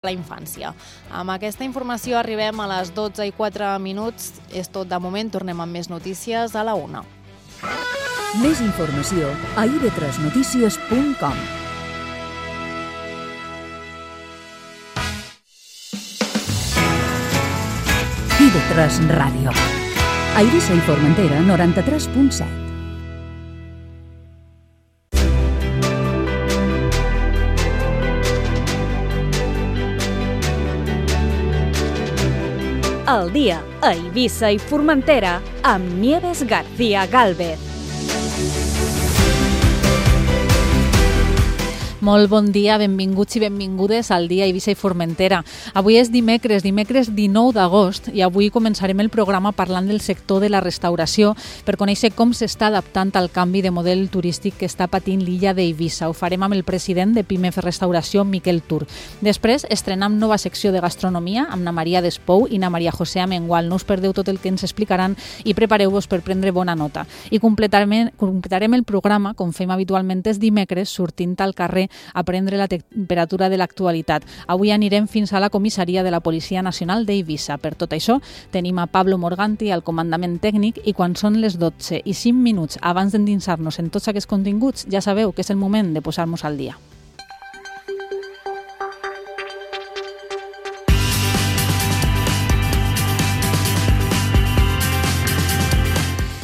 la infància. Amb aquesta informació arribem a les 12:04. És tot de moment, tornem amb més notícies a la 1. Més informació a ib3notícies.com. IB3 Ràdio. A Eivissa i Formentera, 93.7. El dia a Eivissa i Formentera amb Nieves García Gálvez. Molt bon dia, benvinguts i benvingudes al dia Eivissa i Formentera. Avui és dimecres 19 d'agost i avui començarem el programa parlant del sector de la restauració per conèixer com s'està adaptant al canvi de model turístic que està patint l'illa d'Eivissa. Ho farem amb el president de PIMEF Restauració, Miquel Tur. Després estrenem nova secció de gastronomia amb na Maria Despou i na Maria José Amengual. No us perdeu tot el que ens explicaran i prepareu-vos per prendre bona nota. I completarem el programa, com fem habitualment els dimecres, sortint al carrer a prendre la temperatura de l'actualitat. Avui anirem fins a la comissaria de la Policia Nacional d'Eivissa. Per tot això, tenim a Pablo Morganti al comandament tècnic i quan són les 12:05 abans d'endinsar-nos en tots aquests continguts, ja sabeu que és el moment de posar-nos al dia.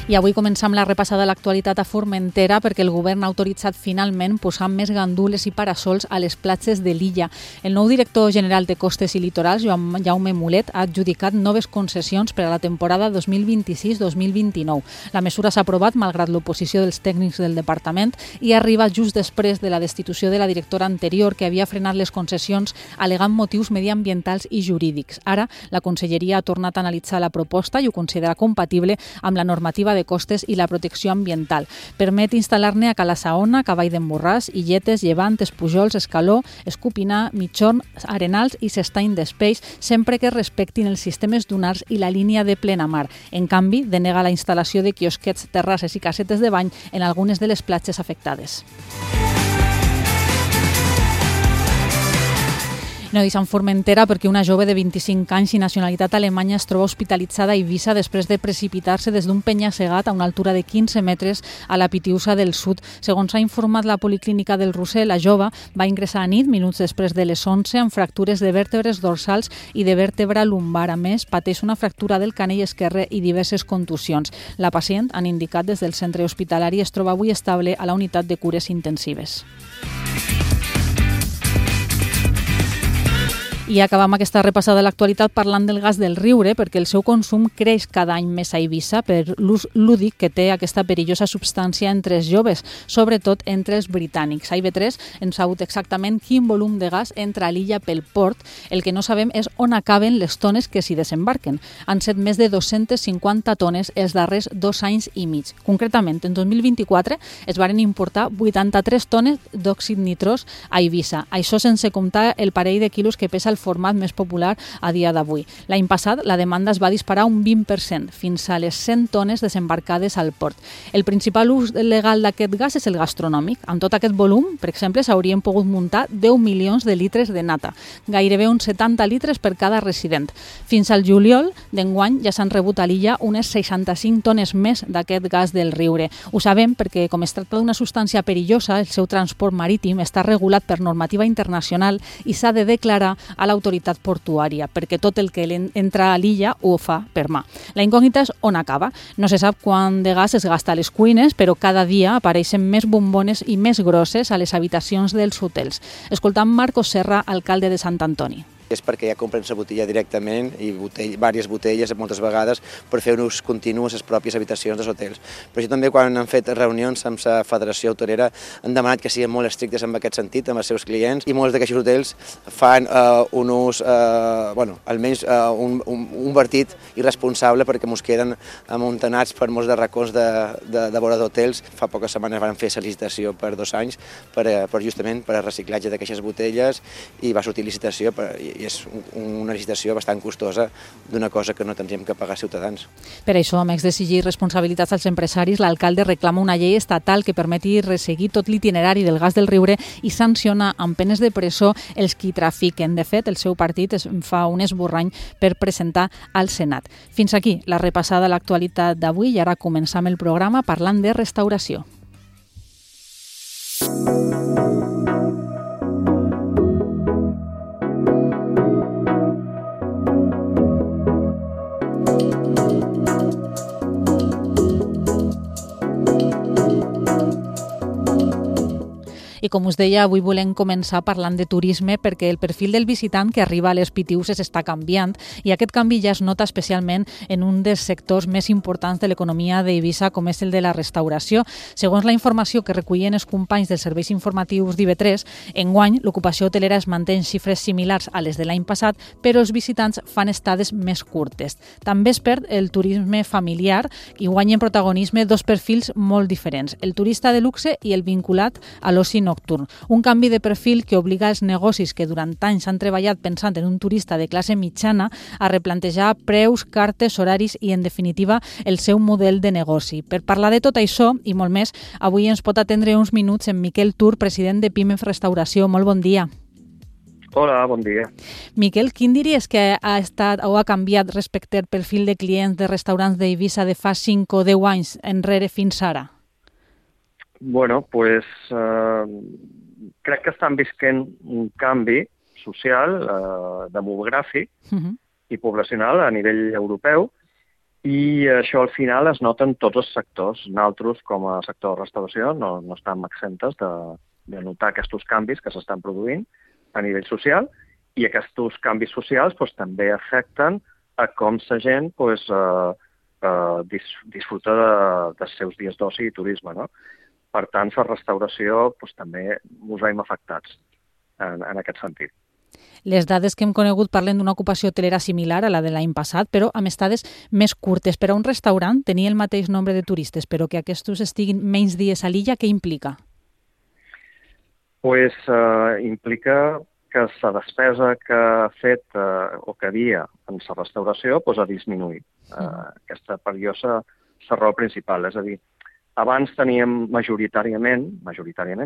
I avui començam la repassada de l'actualitat a Formentera perquè el govern ha autoritzat finalment posar més gandules i parasols a les platges de l'illa. El nou director general de Costes i Litorals, Jaume Mulet, ha adjudicat noves concessions per a la temporada 2026-2029. La mesura s'ha aprovat malgrat l'oposició dels tècnics del departament i arriba just després de la destitució de la directora anterior que havia frenat les concessions al·legant motius mediambientals i jurídics. Ara, la Conselleria ha tornat a analitzar la proposta i ho considera compatible amb la normativa de costes i la protecció ambiental. Permet instal·lar-ne a Cala Saona, Cavall d'en Borràs, Illetes, Llevant, Espujols, Escaló, Escupinar, Mitjorn, Arenals i S'Estany d'Espeix, sempre que respectin els sistemes dunars i la línia de plenamar. En canvi, denega la instal·lació de quiosquets, terrasses i casetes de bany en algunes de les platges afectades. No deixem Formentera perquè una jove de 25 anys i nacionalitat alemanya es troba hospitalitzada a Eivissa després de precipitar-se des d'un penya-segat a una altura de 15 metres a la Pitiusa del Sud. Segons ha informat la Policlínica del Roser, la jove va ingressar a nit, minuts després de les 11, amb fractures de vèrtebres dorsals i de vèrtebra lumbar. A més, pateix una fractura del canell esquerre i diverses contusions. La pacient, han indicat des del centre hospitalari, es troba avui estable a la unitat de cures intensives. I acabam aquesta repassada de l'actualitat parlant del gas del Riure perquè el seu consum creix cada any més a Eivissa per l'ús lúdic que té aquesta perillosa substància entre els joves, sobretot entre els britànics. A IB3 hem sabut exactament quin volum de gas entra a l'illa pel port. El que no sabem és on acaben les tones que s'hi desembarquen. Han set més de 250 tones els darrers 2 anys i mig. Concretament, en 2024 es varen importar 83 tones d'òxid nitrós a Eivissa. Això sense comptar el parell de quilos que pesa el format més popular a dia d'avui. L'any passat la demanda es va disparar un 20%, fins a les 100 tones desembarcades al port. El principal ús legal d'aquest gas és el gastronòmic. Amb tot aquest volum, per exemple, s'haurien pogut muntar 10 milions de litres de nata, gairebé uns 70 litres per cada resident. Fins al juliol d'enguany ja s'han rebut a l'illa unes 65 tones més d'aquest gas del Riure. Ho sabem perquè, com es tracta d'una substància perillosa, el seu transport marítim està regulat per normativa internacional i s'ha de declarar a l'autoritat portuària, perquè tot el que entra a l'illa ho fa per mà. La incògnita és on acaba. No se sap quant de gas es gasta a les cuines, però cada dia apareixen més bombones i més grosses a les habitacions dels hotels. Escoltam Marcos Serra, alcalde de Sant Antoni. És perquè ja compren la botella directament i diverses botelles moltes vegades per fer un ús continu a les pròpies habitacions dels hotels. Però això també quan han fet reunions amb la Federació Hotelera han demanat que siguin molt estrictes en aquest sentit amb els seus clients i molts d'aquests hotels fan un ús, almenys un vertit irresponsable perquè ens queden amuntanats per molts de racons de vora d'hotels. Fa poques setmanes van fer la licitació per 2 anys justament per a reciclatge d'aquestes botelles i va sortir licitació és una licitació bastant costosa d'una cosa que no tindríem que pagar ciutadans. Per això, a més d'exigir responsabilitats als empresaris, l'alcalde reclama una llei estatal que permeti resseguir tot l'itinerari del gas del Riure i sanciona amb penes de presó els qui trafiquen. De fet, el seu partit es fa un esborrany per presentar al Senat. Fins aquí la repassada a l'actualitat d'avui i ara començam el programa parlant de restauració. I com us deia, avui volem començar parlant de turisme perquè el perfil del visitant que arriba a les Pitiüses està canviant i aquest canvi ja es nota especialment en un dels sectors més importants de l'economia d'Eivissa, com és el de la restauració. Segons la informació que recullen els companys dels serveis informatius d'IV3, enguany l'ocupació hotelera es manté en xifres similars a les de l'any passat, però els visitants fan estades més curtes. També es perd el turisme familiar i guanyen protagonisme dos perfils molt diferents, el turista de luxe i el vinculat a l'oci nocturn. Un canvi de perfil que obliga els negocis que durant anys han treballat pensant en un turista de classe mitjana a replantejar preus, cartes, horaris i, en definitiva, el seu model de negoci. Per parlar de tot això i molt més, avui ens pot atendre uns minuts en Miquel Tur, president de Pimef Restauració. Molt bon dia. Hola, bon dia. Miquel, quin diries que ha estat o ha canviat respecte al perfil de clients de restaurants d'Eivissa de fa 5 o 10 anys enrere fins ara? Bueno, pues crec que estan visquent un canvi social, demogràfic i poblacional a nivell europeu i això al final es nota en tots els sectors. Nosaltres, com a sector de restauració, no estem exentes de notar aquests canvis que s'estan produint a nivell social i aquests canvis socials també afecten a com la gent disfruta dels seus dies d'oci i turisme, no? Per tant, la restauració també ens veiem afectats en aquest sentit. Les dades que hem conegut parlen d'una ocupació hotelera similar a la de l'any passat, però amb estades més curtes. Per a un restaurant, tenir el mateix nombre de turistes, però que aquests estiguin menys dies a l'illa, què implica? Implica que la despesa que ha fet o que havia en la restauració ha disminuït. Aquesta per jo és la raó principal, és a dir, abans teníem majoritàriament,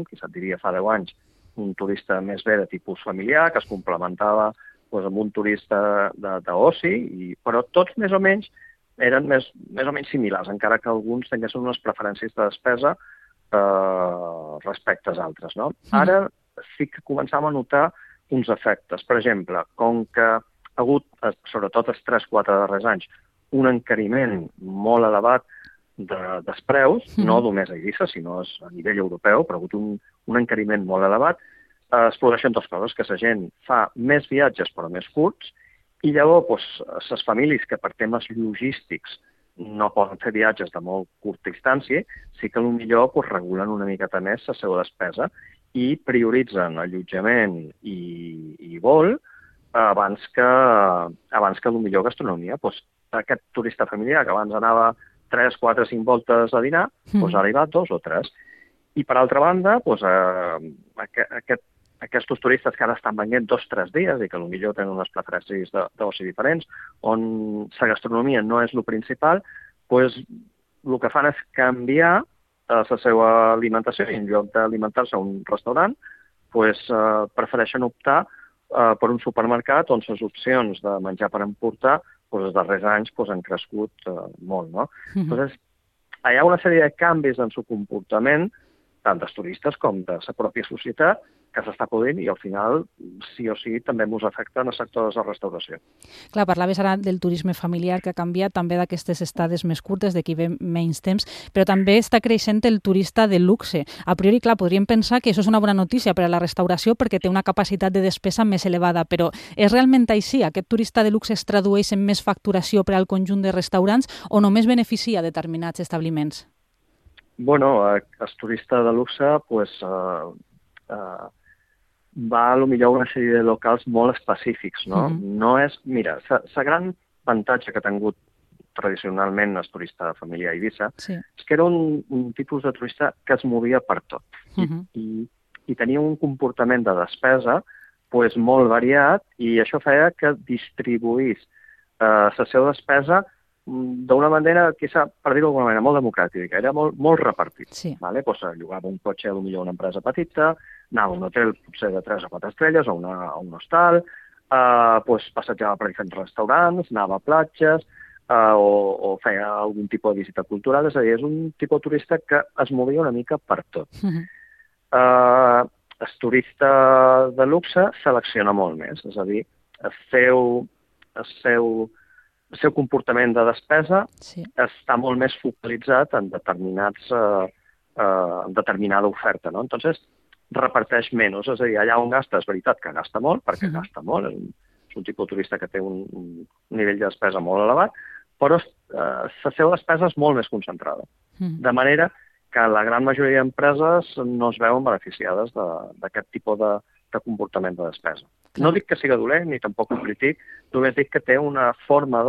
qui se't diria fa 10 anys, un turista més bé de tipus familiar, que es complementava amb un turista d'oci, però tots més o menys eren més o menys similars, encara que alguns tinguessin unes preferències de despesa respecte als altres. No? Ara sí que començàvem a notar uns efectes. Per exemple, com que ha hagut, sobretot els 3-4 darrers anys, un encariment molt elevat dels preus, no només a Eivissa, sinó a nivell europeu, però ha hagut un encariment molt elevat, es produeixen dues coses, que la gent fa més viatges però més curts, i llavors les famílies que per temes logístics no poden fer viatges de molt curta distància, sí que potser regulen una miqueta més la seva despesa i prioritzen allotjament i vol abans que potser gastronomia. Aquest turista familiar que abans anava 3, 4, 5 voltes a dinar, ara hi va 2 o 3. I per altra banda, aquests turistes que ara estan venint 2 o 3 dies i que potser tenen unes preferències d'oci diferents, on la gastronomia no és el principal, el que fan és canviar la seva alimentació i en lloc d'alimentar-se a un restaurant, prefereixen optar per un supermercat on les opcions de menjar per emportar els darrers anys han crescut molt. No? Entonces, hi ha una sèrie de canvis en el comportament tant dels turistes com de la pròpia societat que s'està produint i al final, sí o sí, també ens afecta en el sector de la restauració. Clar, parlaves ara del turisme familiar que ha canviat, també d'aquestes estades més curtes, d'aquí ve menys temps, però també està creixent el turista de luxe. A priori, clar, podríem pensar que això és una bona notícia per a la restauració perquè té una capacitat de despesa més elevada, però és realment així? Aquest turista de luxe es tradueix en més facturació per al conjunt de restaurants o només beneficia determinats establiments? Bueno, el turista de luxe, va potser a una sèrie de locals molt específics, no? No és... Mira, la gran avantatge que ha tingut tradicionalment el turista familiar a Eivissa és que era un tipus de turista que es movia per tot i tenia un comportament de despesa pues, molt variat, i això feia que distribuís la seva despesa d'una manera, per dir-ho d'alguna manera, molt democràtica, era molt repartit. Sí. Vale? Pues, llogava un cotxe, potser una empresa petita, anava a un hotel potser de 3 o 4 estrelles, o un hostal, pues, passejava per diferents restaurants, anava a platges, o feia algun tipus de visita cultural, és a dir, és un tipus de turista que es movia una mica per tot. El turista de luxe selecciona molt més, és a dir, el seu comportament de despesa està molt més focalitzat en determinada oferta, no? Entonces, reparteix menys, és a dir, allà on gasta és veritat que gasta molt, perquè gasta molt, és un tipus de turista que té un nivell de despesa molt elevat, però la seva despesa és molt més concentrada. De manera que la gran majoria d'empreses no es veuen beneficiades d'aquest tipus de comportament de despesa. No dic que sigui dolent, ni tampoc ho critic, només dic que té una forma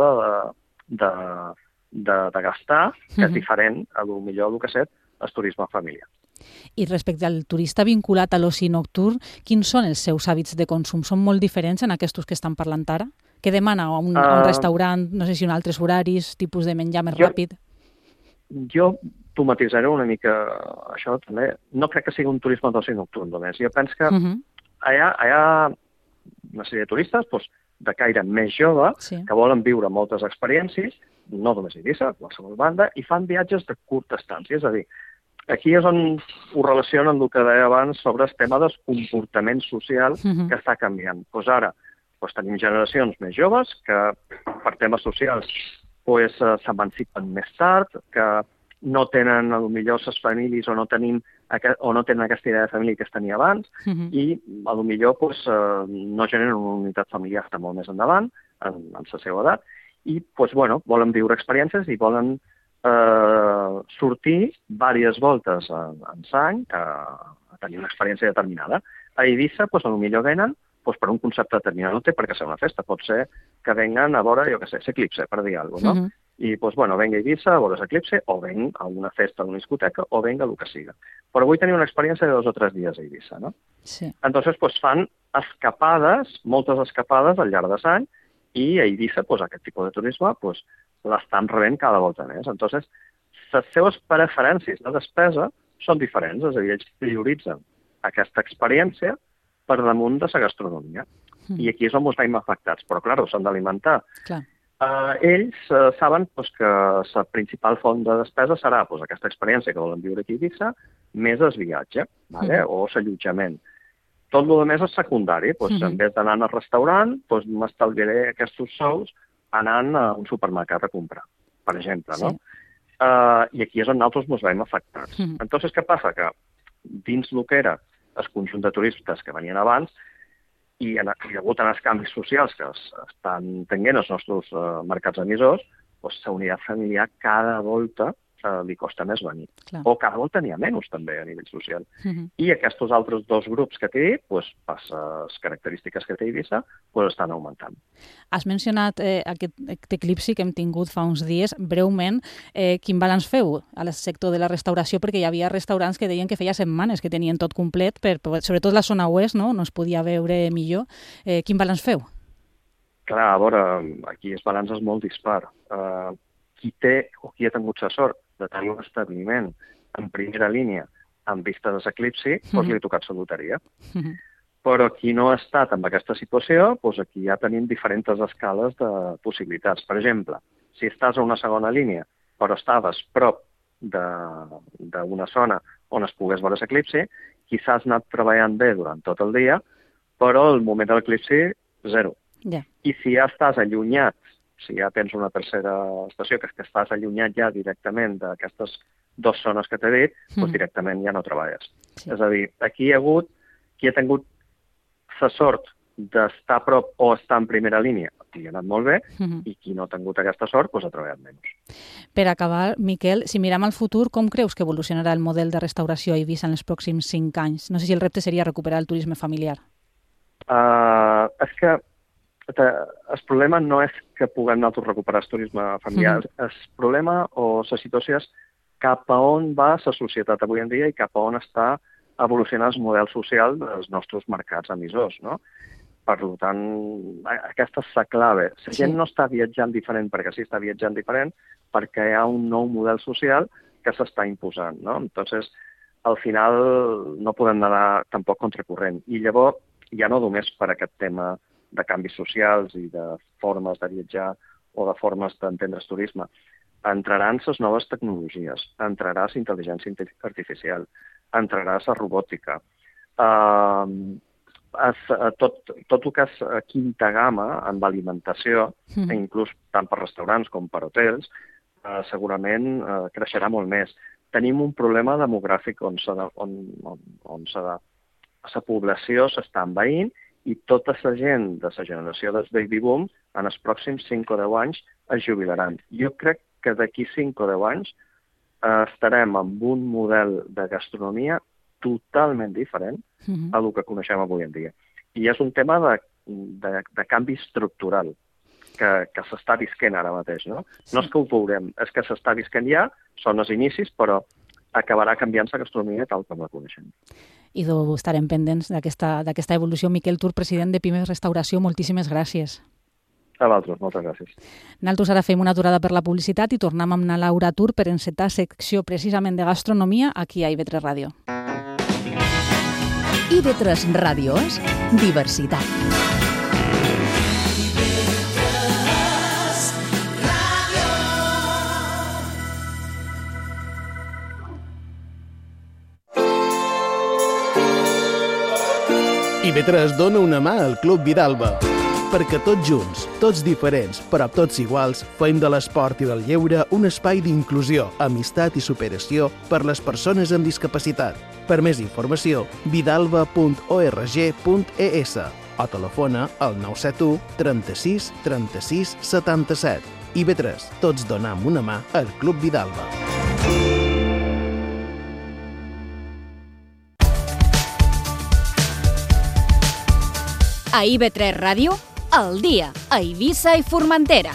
de gastar que és diferent, millor el que és el turisme familiar. I respecte al turista vinculat a l'oci nocturn, quins són els seus hàbits de consum? Són molt diferents en aquests que estan parlant ara? Què demana a un restaurant, no sé si un altres horaris, tipus de menjar més ràpid? Jo t'ho matisaré una mica, això també. No crec que sigui un turisme d'oci nocturn només. Jo penso que hi ha una sèrie de turistes de caire més jove que volen viure moltes experiències, no només a Eivissa, a qualsevol banda, i fan viatges de curta estància. És a dir, aquí és on ho relaciona amb el que deia abans sobre el tema del comportament social que està canviant. Ara tenim generacions més joves que per temes socials s'emancipen més tard, que no tenen potser les famílies o no tenen aquesta idea de família que es tenia abans i potser no generen una unitat familiar que està molt més endavant en la seva edat i volen viure experiències i volen sortir diverses voltes en sang a tenir una experiència determinada. A Eivissa potser venen per un concepte determinat, no té per què ser una festa, pot ser que venguen a veure, l'eclipse, per dir alguna cosa, no? I, venga a Eivissa a veure l'eclipse, o venga a una festa, a una discoteca, o venga a el que siga. Però vull tenir una experiència de 2 o 3 dies a Eivissa, no? Sí. Entonces, fan escapades, moltes escapades al llarg de l'any, i a Eivissa, aquest tipus de turisme, l'estan rebent cada volta més. Entonces, les seves preferències de despesa són diferents, és a dir, ells prioritzen aquesta experiència per damunt de la gastronomia. I aquí és on ens veiem afectats. Però, clar, s'han d'alimentar. Ells saben que la principal font de despesa serà aquesta experiència que volen viure aquí a Eivissa, més el viatge, o l'allotjament. Tot el més és secundari. En vez d'anar al restaurant, m'estalviaré aquests sous anant a un supermercat a comprar, per exemple. No? I aquí és on nosaltres ens veiem afectats. Entonces, què passa? Que dins el que era el conjunt de turistes que venien abans i degut als canvis socials que estan tenint els nostres mercats emissors, la unitat familiar cada volta li costa més venir. O cada volta n'hi ha menys també a nivell social. I aquests altres 2 grups que té, per les característiques que té Eivissa, estan augmentant. Has mencionat aquest eclipsi que hem tingut fa uns dies. Breument, quin balanç feu al sector de la restauració? Perquè hi havia restaurants que deien que feia setmanes que tenien tot complet, sobretot la zona oest, no es podia veure millor. Quin balanç feu? Clar, a veure, aquí el balanç és molt dispar. Qui té o qui ha tingut la sort de tenir un establiment en primera línia amb vista de l'eclipsi, li ha tocat la loteria. Però qui no ha estat en aquesta situació, aquí ja tenim diferents escales de possibilitats. Per exemple, si estàs a una segona línia, però estaves prop d'una zona on es pogués veure l'eclipsi, quizás has anat treballant bé durant tot el dia, però al moment de l'eclipsi, 0. I si ja estàs allunyat, si ja tens una tercera estació, que estàs allunyat ja directament d'aquestes 2 zones que t'he dit, directament ja no treballes. És a dir, aquí hi ha hagut qui ha tingut la sort d'estar a prop o estar en primera línia, li ha anat molt bé, i qui no ha tingut aquesta sort, ha treballat menys. Per acabar, Miquel, si mirem al futur, com creus que evolucionarà el model de restauració a Eivissa en els pròxims 5 anys? No sé si el repte seria recuperar el turisme familiar. És que el problema no és que puguem nosaltres recuperar el turisme familiar. El problema o la situació és cap a on va la societat avui en dia i cap a on està evolucionant el model social dels nostres mercats emissors. No? Per tant, aquesta és la clave. La gent no està viatjant diferent perquè sí està viatjant diferent, perquè hi ha un nou model social que s'està imposant, no? Entonces, al final no podem anar tampoc contracorrent. I llavors, ja no només per aquest tema de canvis socials i de formes de viatjar o de formes d'entendre el turisme, entraran les noves tecnologies, entrarà la intel·ligència artificial, entrarà la robòtica, tot el que és quinta gamma en l'alimentació, inclús tant per restaurants com per hotels, segurament creixerà molt més. Tenim un problema demogràfic on la població s'està envaint i tota la gent de la generació del baby boom en els pròxims 5 o 10 anys es jubilaran. Jo crec que d'aquí 5 o 10 anys estarem amb un model de gastronomia totalment diferent a el que coneixem avui en dia. I és un tema de canvi estructural que s'està visquent ara mateix, no? No és que ho veurem, és que s'està visquent ja, són els inicis, però acabarà canviant la gastronomia tal com la coneixem. I estarem pendents d'aquesta evolució. Miquel Tur, president de Pimes Restauració, moltíssimes gràcies. A vosaltres, moltes gràcies. Nosaltres ara fem una aturada per la publicitat i tornem amb na Laura Tur per encetar secció precisament de gastronomia aquí a IB3 Ràdio. IB3 Ràdio és diversitat. IB3 dona una mà al Club Vidalba, perquè tots junts, tots diferents, però tots iguals, fem de l'esport i del lleure un espai d'inclusió, amistat i superació per les persones amb discapacitat. Per més informació, vidalba.org.es o telefona al 971 36 36 77. IB3, tots donam una mà al Club Vidalba. A IB3 Ràdio, al dia, a Eivissa i Formentera.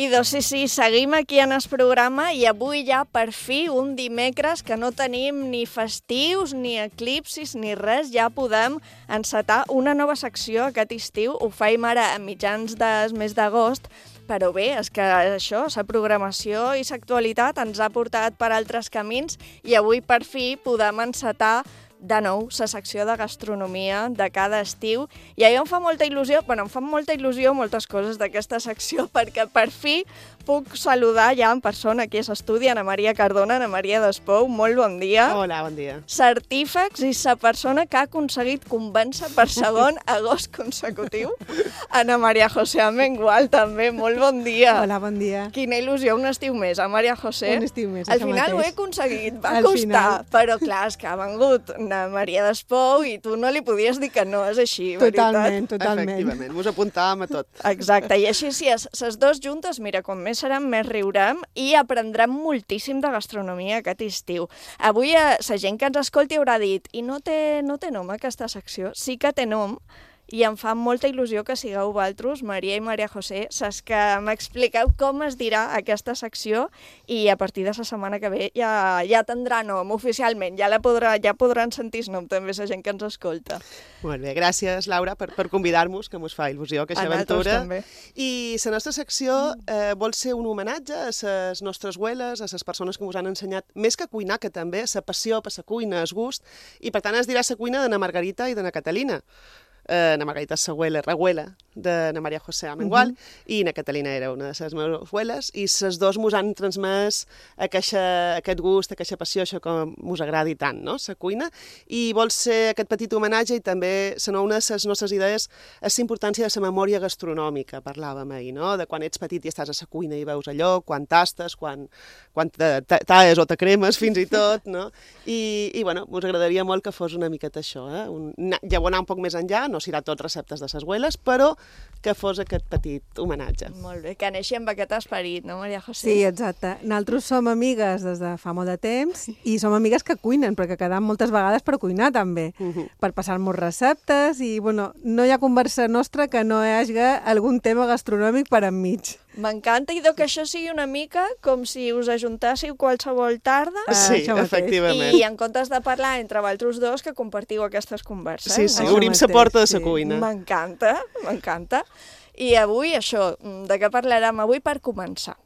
I doncs sí, seguim aquí en el programa i avui ja per fi un dimecres que no tenim ni festius, ni eclipsis, ni res, ja podem encetar una nova secció aquest estiu. Ho faim ara a mitjans del mes d'agost, però bé, és que això, la programació i l'actualitat ens ha portat per altres camins i avui per fi podem encetar de nou la secció de gastronomia de cada estiu i a mi em fa molta il·lusió, moltes coses d'aquesta secció perquè per fi puc saludar ja en persona aquí a l'estudi Ana Maria Cardona, Ana Maria Despou, molt bon dia. Hola, bon dia. Certífex i la persona que ha aconseguit convèncer per segon agost consecutiu. Ana Maria José Amengual també, molt bon dia. Hola, bon dia. Quina il·lusió, un estiu més, a Maria José. Un estiu més, al això final mateix. ho he aconseguit, va costar, però clar, és que ha vengut Ana Maria Despou i tu no li podies dir que no, és així, Totalment, veritat? totalment. Efectivament, mos apuntàvem a tot. Exacte, i així sí, les dues juntes, mira, com més serem, més riurem i aprendrem moltíssim de gastronomia aquest estiu. Avui la gent que ens escolti haurà dit i no té nom aquesta secció? Sí que té nom, i em fa molta il·lusió que sigueu vosaltres, Maria i Maria José, saps que m'expliqueu com es dirà aquesta secció i a partir de la setmana que ve ja tindrà nom oficialment, ja podran sentir el nom també la gent que ens escolta. Molt bé, gràcies Laura per convidar-nos, que mos fa il·lusió aquesta aventura. També. I la nostra secció vol ser un homenatge a les nostres abueles, a les persones que ens han ensenyat, més que cuinar, que també, la passió per la cuina, el gust, i per tant es dirà la cuina de na Margarita i de na Catalina. Na Margarita és la reguela de na Maria José Amengual i na Catalina era una de les meves abueles i les dos mos han transmès aquest gust, aquesta passió, això que mos agradi tant, no?, la cuina, i vol ser aquest petit homenatge i també una de les nostres idees és la importància de la memòria gastronòmica, parlàvem ahir, no?, de quan ets petit i estàs a la cuina i veus allò, quan tastes, quan talles o te cremes fins i tot, no?, i bueno, mos agradaria molt que fos una miqueta això, ja vol anar un poc més enllà, no no serà tot receptes de ses abueles, però que fos aquest petit homenatge. Molt bé, que neixi amb aquest esperit, no, Maria José? Sí, exacte. Nosaltres som amigues des de fa molt de temps i som amigues que cuinen, perquè quedam moltes vegades per cuinar també, per passar-nos receptes i, bueno, no hi ha conversa nostra que no hi hagi algun tema gastronòmic per enmig. M'encanta, i que això sigui una mica com si us ajuntássiu qualsevol tarda Sí, efectivament. i en comptes de parlar entre vosaltres dos que compartiu aquestes converses. Sí, sí, obrim la porta de la cuina. M'encanta, m'encanta. I avui, això, de què parlarem avui per començar?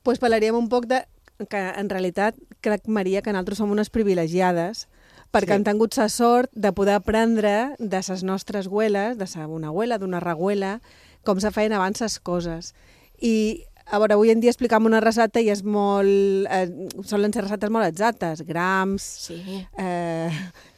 Doncs parlaríem un poc de que, en realitat, crec, Maria, que nosaltres som unes privilegiades perquè hem tingut la sort de poder aprendre de les nostres abueles, d'una abuela, d'una reabuela, com se feien abans les coses. I, a veure, avui en dia explicam una recepta i és molt... solen ser receptes molt exactes, grams,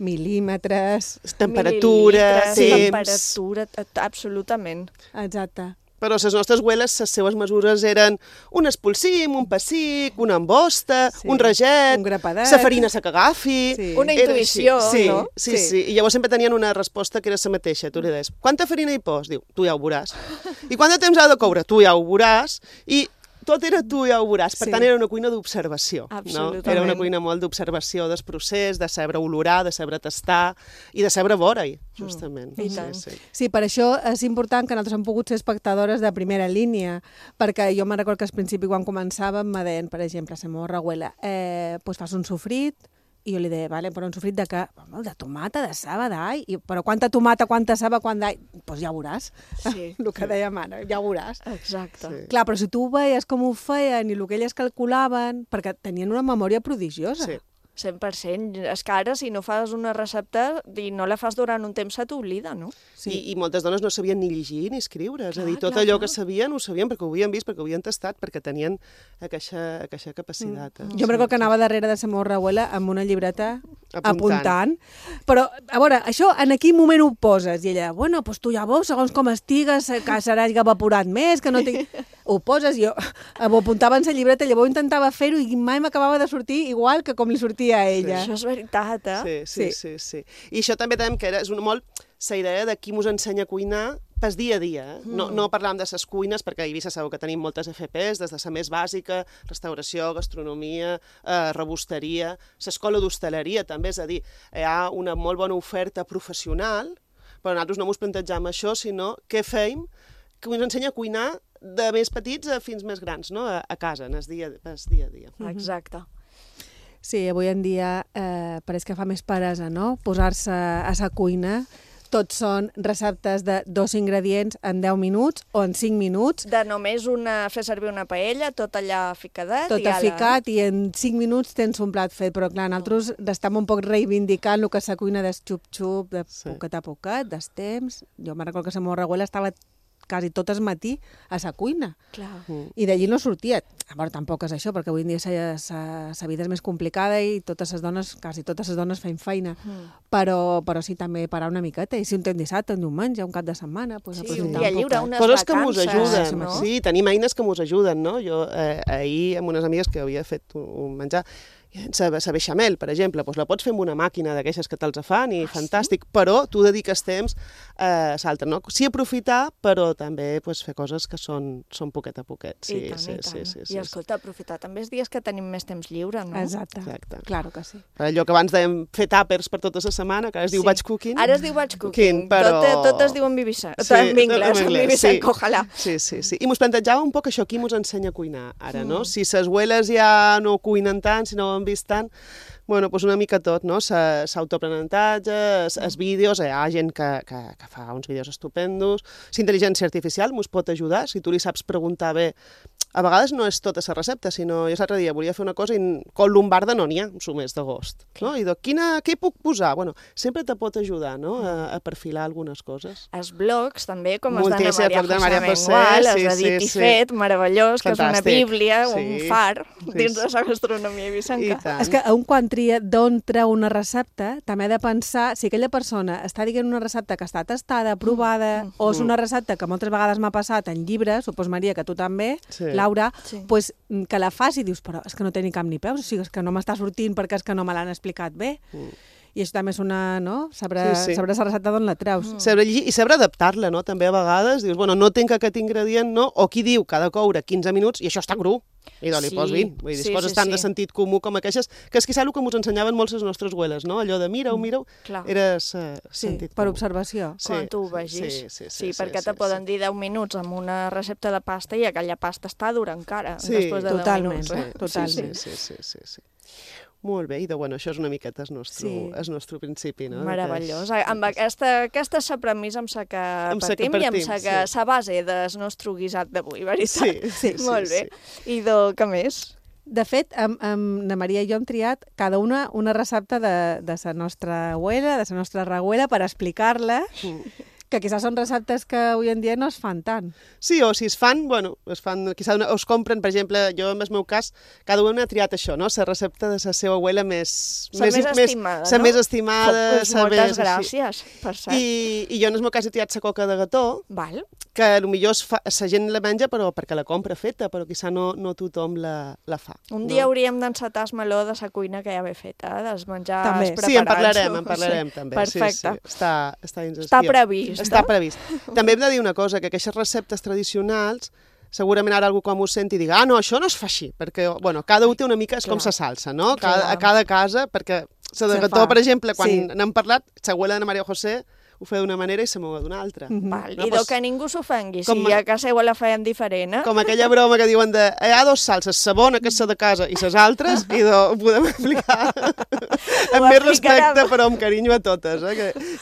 mil·límetres... Temperatura, temps... Temperatura, absolutament. Exacte. Però les nostres abueles, les seues mesures eren un espolsim, un pessic, una embosta, un raget, un grapadet, la farina se que agafi... Una intuïció, no? Sí. I llavors sempre tenien una resposta que era la mateixa. Tu li deies, quanta farina hi pos? Diu, tu ja ho veuràs. I quant de temps ha de coure? Tu ja ho veuràs. I tot era tu ja ho veuràs. Per tant, era una cuina d'observació. Absolutament. Era una cuina molt d'observació del procés, de saber olorar, de saber tastar i de saber veure-hi, justament. Sí, per això és important que nosaltres hem pogut ser espectadores de primera línia, perquè jo me'n recordo que al principi, quan començàvem, me deien, per exemple, la meva abuela, doncs fas un sofrit, i jo li deia, vale, però un sofrit de què? De tomata, de ceba, d'all. Però quanta tomata, quanta ceba, quant d'all? Doncs ja ho veuràs. Sí. El que deia mare, ja ho veuràs. Exacte. Sí. Clar, però si tu ho veies com ho feien i el que elles calculaven, perquè tenien una memòria prodigiosa. Sí. 100%. És que ara, si no fas una recepta i no la fas durant un temps, se t'oblida, no? Sí. I moltes dones no sabien ni llegir ni escriure. És a dir, tot allò que sabien, ho sabien perquè ho havien vist, perquè ho havien tastat, perquè tenien aquesta capacitat. Jo em recordo que anava darrere de la meva abuela amb una llibreta apuntant. Però, a veure, això en quin moment ho poses? I ella, bueno, doncs tu ja veus, segons com estigues, que seràs evaporat més, que no tinc... Ho poses, jo ho apuntava en la llibreta, llavors intentava fer-ho i mai m'acabava de sortir igual que com li sortia a ella. Això és veritat, eh? Sí. I això també tenim que és molt la idea de qui mos ensenya a cuinar pel dia a dia. No parlàvem de les cuines, perquè a Eivissa sabeu que tenim moltes FPs, des de la més bàsica, restauració, gastronomia, rebosteria, l'escola d'hostaleria també, és a dir, hi ha una molt bona oferta professional, però nosaltres no mos plantegem això, sinó què feim que ens ensenya a cuinar de més petits a fins més grans, no? A casa, en el dia a dia. Exacte. Sí, avui en dia pareix que fa més peresa, no? Posar-se a la cuina. Tots són receptes de 2 ingredients en 10 minuts o en 5 minuts. De només fer servir una paella, tot allà ficadet. Tot ficat i en 5 minuts tens un plat fet. Però clar, nosaltres estem un poc reivindicant el que és la cuina del xup-xup, de poquet a poquet, dels temps. Jo me'n recordo que la meva abuela estava quasi tot el matí a la cuina. Clar. I d'allí no sortia. A veure, tampoc és això, perquè avui en dia la vida és més complicada i totes les dones, quasi totes les dones fem feina. Però sí, també parar una miqueta. I si un temps dissabte, un diumenge, un cap de setmana, doncs sí, un dia lliure, unes coses vacances. Que mos ajuden, no? Sí, tenim eines que mos ajuden, no? Jo ahir amb unes amigues que havia fet un menjar, la beixamel, per exemple, doncs la pots fer amb una màquina d'aquestes que te'ls fan i fantàstic, però tu dediques temps a l'altre, no? Sí aprofitar, però també fer coses que són poquet a poquet. I tant. I escolta, aprofitar també els dies que tenim més temps lliure, no? Exacte. Claro que sí. Allò que abans dèiem fer tàpers per tota la setmana, que ara es diu batch cooking. Ara es diu batch cooking, però... tot es diu en anglès, ojalà. Sí. I mos plantejava un poc això, qui mos ensenya a cuinar ara, no? Si les abueles ja no cuinen tant, si no ho han vist tant, bueno, doncs una mica tot, no? S'autoaprenentatge, els vídeos, hi ha gent que fa uns vídeos estupendos, la intel·ligència artificial mos pot ajudar, si tu li saps preguntar bé. A vegades no és tota la recepta, sinó jo l'altre dia volia fer una cosa i con lombarda no n'hi ha, un mes d'agost. No? I dic, què puc posar? Bueno, sempre te pot ajudar, no? A perfilar algunes coses. Els blogs també, com els d'Anna Maria José Mengual, els de Dit i Fet, meravellós, que és una bíblia, un far dins de la gastronomia eivissenca. És que un quan tria d'on treu una recepta, també ha de pensar si aquella persona està dient una recepta que està tastada, provada, o és una recepta que moltes vegades m'ha passat en llibres, supos Maria que tu també, Laura, pues, que la fas i dius, però és que no té ni cap ni peus, o sigui, és que no m'està sortint perquè és que no me l'han explicat bé. I això també és una, no? Saber la recepta d'on la treus. Saber llegir i saber adaptar-la, no? També a vegades dius, bueno, no tinc aquest ingredient, no? O qui diu que ha de coure 15 minuts i això està cru. I li pos 20. Vull dir, coses tan de sentit comú com aquestes, que és quizà el que ens ensenyaven molts les nostres abueles, no? Allò de mireu, era sentit comú. Per observació. Quan tu ho vegis. Sí, perquè te poden dir 10 minuts amb una recepta de pasta i aquella pasta està dura encara, després de 10 minuts. Totalment. Sí. Molt bé, i això és una miqueta el nostre principi, no? Meravellós. Amb aquesta sa premissa em sa que partim i em sa que sa base del nostre guisat d'avui, veritat? Sí. Molt bé. I què més? De fet, amb na Maria i jo hem triat cada una recepta de la nostra abuela, de la nostra reguera, per explicar-la, que quizás són receptes que avui en dia no es fan tant. Sí, o si es fan, quizás es compren, per exemple, jo en el meu cas, cada una ha triat això, no? La recepta de la seva abuela més estimada, no? La més estimada. Moltes gràcies, per cert. I jo en el meu cas he triat la coca de gató, que potser la gent la menja però perquè la compra feta, però quizá no tothom la fa. Un dia hauríem d'encetar el meló de la cuina que ja ve feta, dels menjars preparats. Sí, en parlarem també. Perfecte. Està previst. Està previst. També hem de dir una cosa, que aquestes receptes tradicionals, segurament ara algú com ho senti i diga, no, això no es fa així, perquè, cada un té una mica, és com sa salsa, no? A cada casa, perquè la de gató, per exemple, quan n'hem parlat, l'abuela de Maria José ho feia d'una manera i se meva d'una altra. I que ningú s'ofengui, si a casa seva la feien diferent. Com aquella broma que diuen de hi ha dos salses, la bona, que és la de casa, i les altres, i ho podem explicar amb més respecte, però amb carinyo a totes.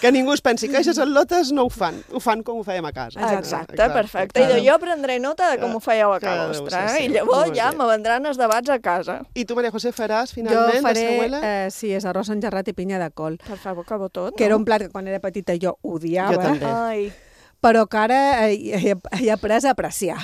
Que ningú es pensi que aquestes al·lotes no ho fan com ho fèiem a casa. Exacte, perfecte. I jo prendré nota de com ho fèieu a casa vostra, i llavors ja me vendran els debats a casa. I tu, Maria José, faràs finalment? Jo faré, sí, és arròs engerrat i pinya de col. Per favor, que bo tot. Que era un plat que quan era petita jo odiava. Jo també. Ai. Però que ara he après a apreciar.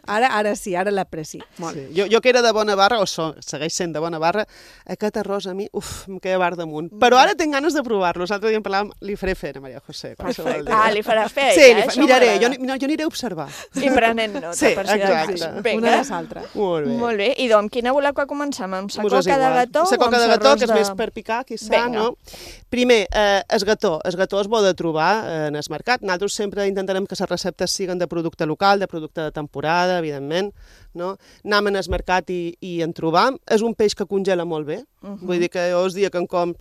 Ara sí, ara l'aprecio. Sí. Jo que era de bona barra, o segueix sent de bona barra, aquest arròs a mi, em queda bar damunt. Però ara tinc ganes de provar-lo. L'altre dia en parlàvem, li faré fer a Maria José. Perfecte. Li faràs fer sí, miraré, jo aniré a observar. I prenent nota. Sí, exacte. Una de l'altra. Molt bé. I amb quina voleu que comencem? Amb sa coca de gató? Sa coca de gató, que és més per picar, quizà, no? Primer, el gató. El gató es bo de trobar en el mercat. Nosaltres sempre intentarem que les receptes siguin de producte local, de producte de temporada, evidentment, no? Anem al mercat i en trobam. És un peix que congela molt bé. Vull dir que jo els dia que em com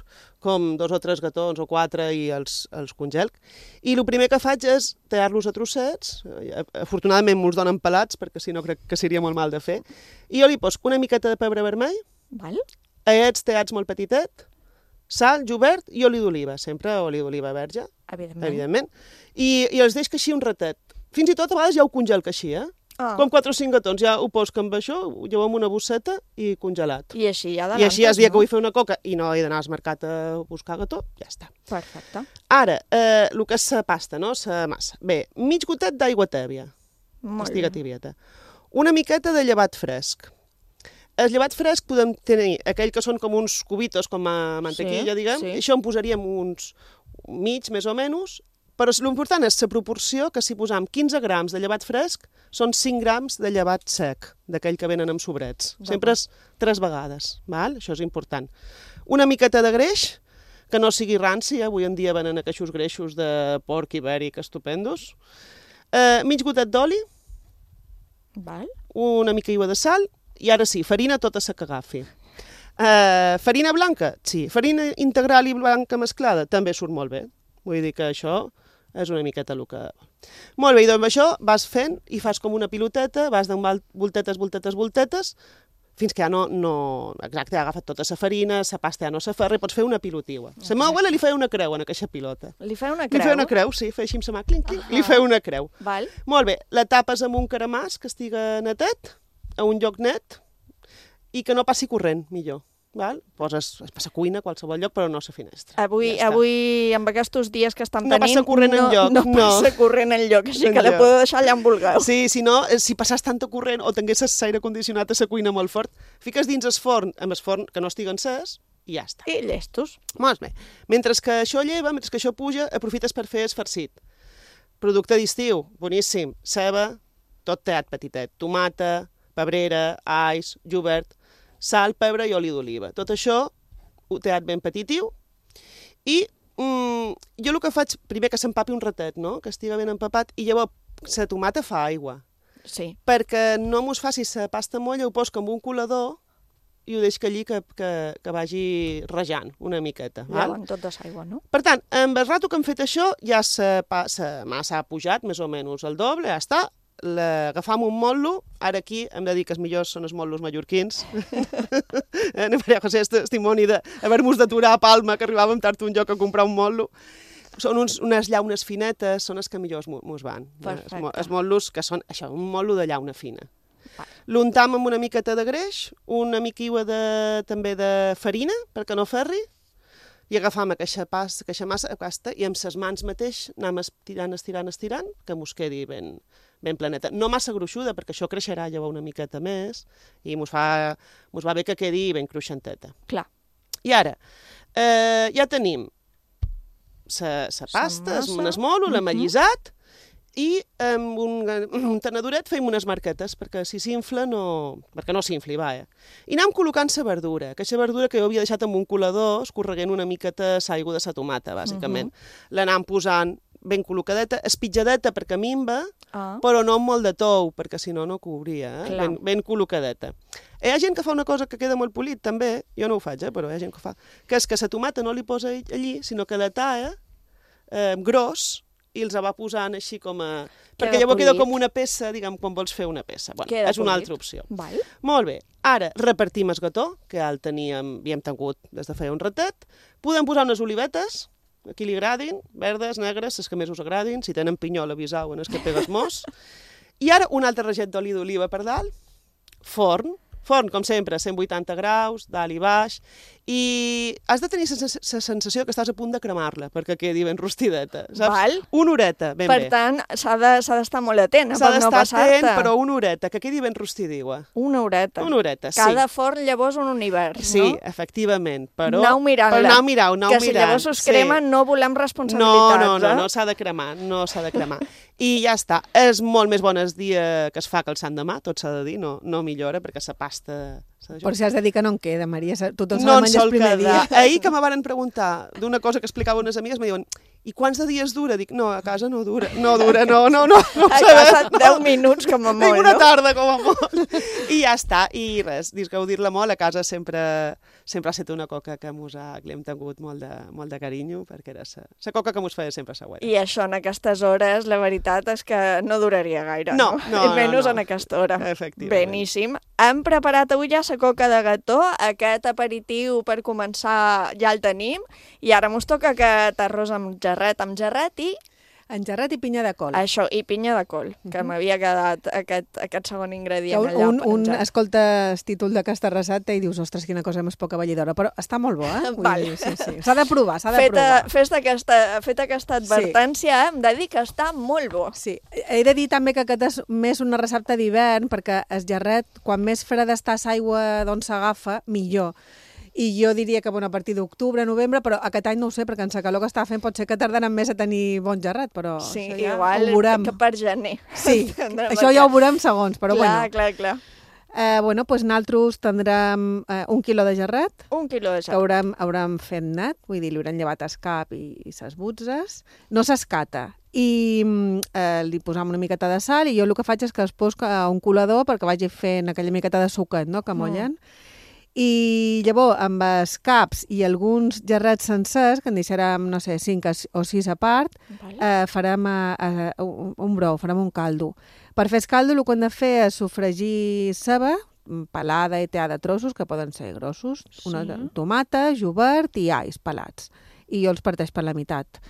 2 o 3 gatons o 4 i els congelc. I el primer que faig és tallar-los a trossets. Afortunadament me'ls donen pelats, perquè si no crec que seria molt mal de fer. I jo li poso una miqueta de pebre vermell, aiets tallats molt petitet, sal, julivert i oli d'oliva, sempre oli d'oliva verge, evidentment. I els deixo així un ratet. Fins i tot a vegades ja ho congelc així, com 4 o 5 gatons, ja ho poso amb això, ho llevo en una bosseta i congelat. I així ja I així el dia que vull fer una coca i no he d'anar al mercat a buscar gató, ja està. Perfecte. Ara, el que és la pasta, no? La massa. Bé, mig gotet d'aigua tèbia. Estiga tibieta. Una miqueta de llevat fresc. El llevat fresc podem tenir aquell que són com uns cubitos, com a mantequilla, diguem. Això en posaríem uns mig, més o menys, però l'important és la proporció, que si posam 15 grams de llevat fresc, són 5 grams de llevat sec, d'aquell que venen amb sobrets. Sempre és 3 vegades, val? Això és important. Una miqueta de greix, que no sigui ranci, avui en dia venen aquests greixos de porc ibèric estupendos. Mig gotet d'oli, una mica de sal, i ara sí, farina tota la que agafi. Farina blanca? Sí. Farina integral i blanca mesclada? També surt molt bé. Vull dir que això és una miqueta el que... Molt bé, i amb això vas fent i fas com una piloteta, vas donant voltetes, fins que ja no... Exacte, ha agafat tota la farina, la pasta ja no s'aferra i pots fer una pilotiua. La meva abuela li feia una creu en aquesta pilota. Li feia una creu? Li feia una creu, sí, feia així amb la mà, clinc, li feia una creu. Molt bé, la tapes amb un caramàs que estiga netet, a un lloc net, i que no passi corrent, millor. Poses a la cuina, a qualsevol lloc, però no a la finestra. Avui, amb aquests dies que estem tenint, no passa corrent enlloc. No passa corrent enlloc, així que la podeu deixar allà on vulgueu. Sí, si no, si passàs tanta corrent o tinguessis l'aire condicionat a la cuina molt fort, fiques dins el forn, amb el forn que no estigui encès, i ja està. I llestos. Molt bé. Mentre que això lleva, mentre que això puja, aprofites per fer el farcit. Producte d'estiu, boníssim. Ceba, tot tallat petitet. Tomata, pebrera, alls, julivert, sal, pebre i oli d'oliva. Tot això ho tallat ben petitiu I jo el que faig, primer que s'empapi un ratet, no? Que estigui ben empapat, i llavors la tomata fa aigua. Sí. Perquè no mos faci la pasta molla, ho poso com un colador i ho deixo allí que vagi rejant una miqueta. Lleven tot de l'aigua, no? Per tant, amb el rato que hem fet això, ja la massa ha pujat més o menys el doble, ja està. L'agafam un motlo, ara aquí hem de dir que els millors són els motlos mallorquins. Maria José és testimoni d'haver-nos d'aturar a Palma, que arribàvem tard un lloc a comprar un motlo. Són unes llaunes finetes, són els que millors mos van. Perfecte. Els motlos que són això, un motlo de llauna fina. L'untam amb una miqueta de greix, una miquiua també de farina, perquè no ferri, i agafam aquesta massa pasta i amb les mans mateix anem estirant, que mos quedi ben planeta. No massa gruixuda, perquè això creixerà llavors una miqueta més i mos va bé que quedi ben cruixenteta. Clar. I ara, ja tenim la pasta, un esmolo, l'amallissat, i amb un tenadoret fem unes marquetes, perquè si s'infla perquè no s'infli, I anem col·locant la verdura, que aquesta verdura que jo havia deixat amb un colador, escorreguent una miqueta l'aigua de la tomata, bàsicament. L'anem posant ben col·locadeta, espitjadeta perquè minva, però no amb molt de tou, perquè si no cobria, ben col·locadeta. Hi ha gent que fa una cosa que queda molt polit, també, jo no ho faig, però hi ha gent que ho fa, que és que la tomata no li posa allí, sinó que la talla gros, i els va posant així com a... Perquè llavors queda com una peça, diguem, quan vols fer una peça. És una altra opció. Molt bé. Ara repartim el gató, que ja havíem tingut des de feia un ratet. Podem posar unes olivetes, a qui li agradin, verdes, negres, les que més us agradin. Si tenen pinyol, avisau en els que pegues mos. I ara un altre raget d'oli d'oliva per dalt. Forn, com sempre, 180 graus, dalt i baix, i has de tenir la sensació que estàs a punt de cremar-la perquè quedi ben rostideta, saps? Una horeta, ben bé. Per tant, s'ha d'estar molt atent per no passar-te. S'ha d'estar atent, però una horeta, que quedi ben rostidigua. Una horeta. Una horeta, sí. Cada forn llavors un univers, no? Sí, efectivament, però... Anau mirant-la. Anau mirant. Que si llavors us cremen no volem responsabilitats, No s'ha de cremar, I ja està. És molt més bon el dia que es fa que el sant demà, tot s'ha de dir, no millora, perquè la pasta... Per si has de dir que no en queda, Maria, tothom s'ha de menjar el primer dia. Ahir que me van preguntar d'una cosa que explicava unes amigues, me diuen, i quants de dies dura? Dic, no, a casa no dura. No. A casa 10 minuts com a molt, no? Una tarda com a molt. I ja està, i res, gaudir-la molt, a casa sempre ha estat una coca que li hem tingut molt de carinyo, perquè era la coca que mos feia sempre següent. I això en aquestes hores, la veritat és que no duraria gaire, no? I menys en aquesta hora. Efectivament. Beníssim. Hem preparat avui ja la coca de gató, aquest aperitiu per començar ja el tenim, i ara mos toca aquest arròs amb gerret i... En gerret i pinya de col. Això, i pinya de col, que m'havia quedat aquest segon ingredient allà penjat. Escolta el títol d'aquesta recepta i dius, ostres, quina cosa més poca vellidora, però està molt bo, Sí. S'ha de provar, Feta aquesta advertència, hem de dir que està molt bo. Sí, he de dir també que aquest és més una recepta d'hivern, perquè el gerret, quan més freda està l'aigua d'on s'agafa, millor. I jo diria que a partir d'octubre, novembre, però aquest any no ho sé, perquè en la calor que està fent pot ser que tardaran més a tenir bon gerret, però sí, ja igual ho veurem. Que per gener. Sí, això ja ho veurem segons, però Clar. Doncs nosaltres tindrem 1 quilo de gerret. 1 quilo de gerret. Que haurem fet net, vull dir, li haurem llevat el cap i ses butzes. No s'escata. I li posam una miqueta de sal i jo el que faig és que es poso a un colador perquè vagi fent aquella miqueta de suquet, no?, que mollen. I llavors, amb els caps i alguns gerrets sencers, que en deixarem, no sé, 5 o 6 a part, farem un brou, farem un caldo. Per fer el caldo el que hem de fer és sofregir ceba, pelada i teada de trossos, que poden ser grossos, una tomata, jovert i alls pelats. I jo els parteix per la meitat.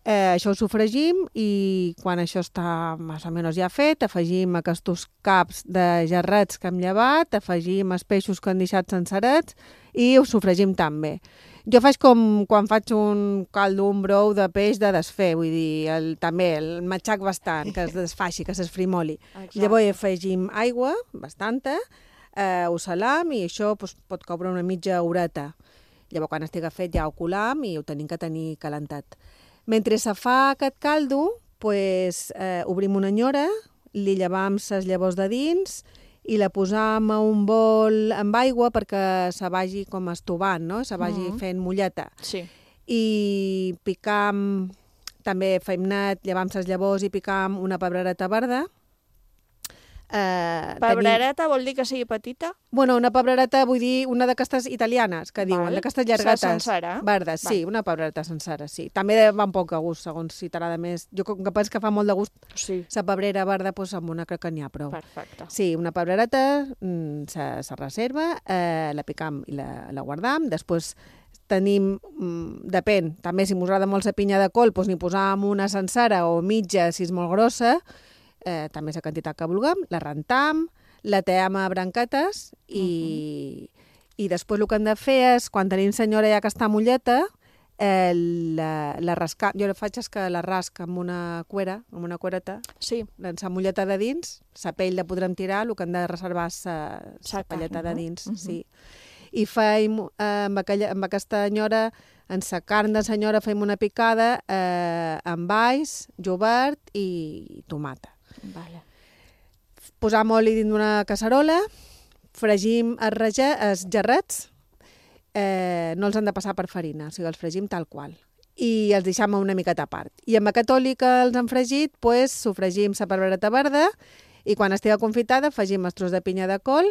Això ho sofregim i quan això està més o menys ja fet, afegim aquests caps de gerrets que hem llevat, afegim els peixos que hem deixat sencerets i ho sofregim també. Jo faig com quan faig un caldo, un brou de peix de desfer, vull dir, també el matxac bastant, que es desfaixi, que s'esfrimoli. Llavors afegim aigua, bastanta, ho salam i això pot coure una mitja horeta. Llavors quan estigui fet ja ho colam i ho tenim que tenir calentat. Mentre se fa aquest caldo, obrim una enyora, li llevam les llavors de dins i la posam a un bol amb aigua perquè se vagi com estovant, no? Se vagi fent molleta. Sí. i picam, també feimnat, llevam ses llavors i picam una pebrereta verda. Pebrereta vol dir que sigui petita? Bueno, una pebrereta vull dir una d'aquestes italianes, que diuen, d'aquestes llargates. Sencera? Verdes, sí, una pebrereta sencera, sí. També va un poc a gust, segons si t'agrada més. Jo com que penso que fa molt de gust la pebrera verda, doncs amb una crec que n'hi ha prou. Perfecte. Sí, una pebrereta se reserva, la picam i la guardam, després tenim, depèn, també si us agrada molt la pinya de col, doncs n'hi posam una sencera o mitja si és molt grossa, també és la quantitat que vulguem, la rentam, la team a branquetes i després el que hem de fer és, quan tenim senyora ja que està molleta, la rascar. Jo faig és que la rasc amb una cuereta, s'amolleta de dins, la pell la podrem tirar, el que hem de reservar és la pelleta de dins, sí. I feim, amb aquesta senyora, en la carn de senyora fem una picada amb alls, jovert i tomata. Vale. Posam oli dins d'una casserola, fregim els gerrets, no els han de passar per farina, o sigui, els fregim tal qual. I els deixem una miqueta a part. I amb aquest oli que els han fregit, sofregim la pebrereta verda i quan estigui confitada afegim els tros de pinya de col,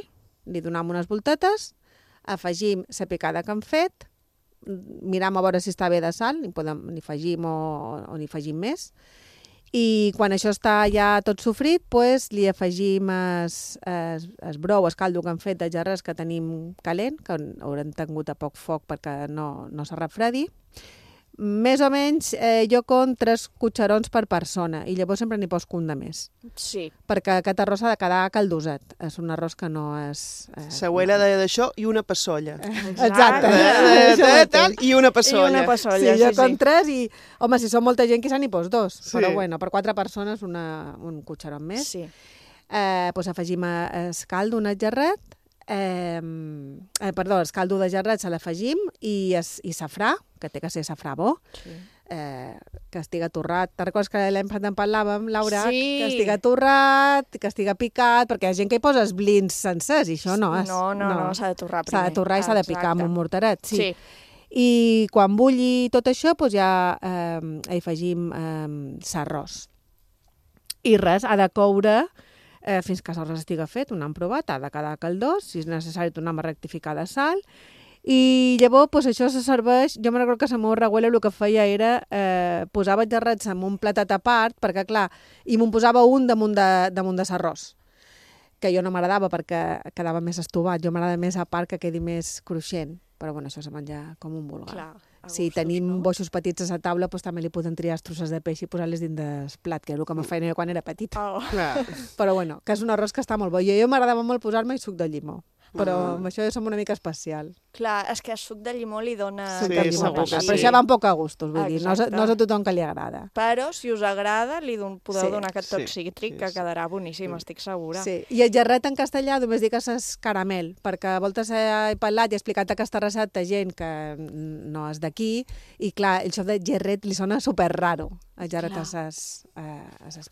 li donem unes voltetes, afegim la picada que hem fet, miram a veure si està bé de sal, n'hi afegim o n'hi afegim més, i quan això està ja tot sofrit, li afegim el brou, el caldo que hem fet de gerres que tenim calent, que haurem tingut a poc foc perquè no se refredi. Més o menys jo compto 3 cucharons per persona i llavors sempre n'hi poso un de més. Sí. Perquè aquest arròs ha de quedar caldoset. És un arròs que no és... L'abuela deia d'això i una passolla. Exacte. I una passolla. I una passolla, sí, jo compto 3 i... Home, si són molta gent, quizà n'hi pos 2. Sí. Però bueno, per 4 persones un cucharon més. Sí. Afegim el caldo, un gerret, el caldo de gerret se l'afegim i safrà, que té que ser safrà bo, que estiga torrat. Te'n recordes que l'any passat en parlàvem, Laura? Sí. Que estiga torrat, que estiga picat, perquè hi ha gent que hi posa els blins sencers i això no és. No, s'ha de torrar primer. S'ha de torrar i s'ha de picar amb un mortaret, sí. I quan bulli tot això, doncs ja hi afegim l'arròs. I res, ha de coure fins que l'arròs estigui fet, un han provat, ha de quedar caldós, si és necessari tornem a rectificar de sal, i llavors això se serveix, jo me recordo que la meva abuela el que feia era posava els gerrets en un platet a part, perquè clar, i me'n posava un damunt de l'arròs, que jo no m'agradava perquè quedava més estovat, jo m'agrada més a part que quedi més cruixent, però bueno, això se menja com un vulgar. Clar. Si tenim boixos petits a la taula, doncs també li podem triar els trossos de peix i posar-les dins del plat, que és el que me feia jo quan era petita. Però bueno, que és un arròs que està molt bo. Jo m'agradava molt posar-me suc de llimó, però amb això som una mica especial. Clar, és que el suc de llimó li dona... Suc de llimó, però això va un poc a gustos, vull dir, no és a tothom que li agrada. Però, si us agrada, li podeu donar aquest toc cítric, que quedarà boníssim, estic segura. Sí, i el gerret en castellà només dic que és caramel, perquè a voltes he parlat i he explicat aquesta recepta a gent que no és d'aquí, i clar, el xof de gerret li sona super raro. El gerret és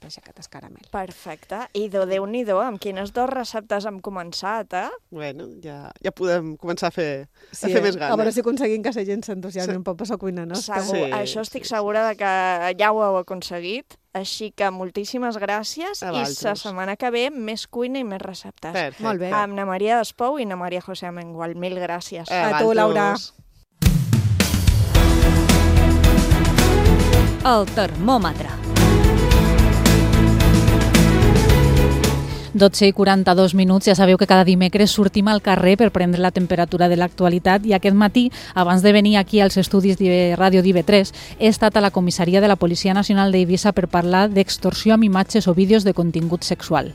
peix aquest, és caramel. Perfecte. I Déu-n'hi-do, amb quines 2 receptes hem començat, Bueno, ja podem començar a fer més ganes. A veure si aconseguim que la gent s'entusiasmi un poc per la cuina nostra. Segur, això estic segura de que ja ho heu aconseguit. Així que moltíssimes gràcies i la setmana que ve més cuina i més receptes. Perfecte. Molt bé. Amb na Maria Despou i na Maria José Amengual. Mil gràcies. A tu, Laura. El termòmetre. 12:42, ja sabeu que cada dimecres sortim al carrer per prendre la temperatura de l'actualitat i aquest matí, abans de venir aquí als estudis de Ràdio d'IV3, he estat a la comissaria de la Policia Nacional d'Eivissa per parlar d'extorsió amb imatges o vídeos de contingut sexual.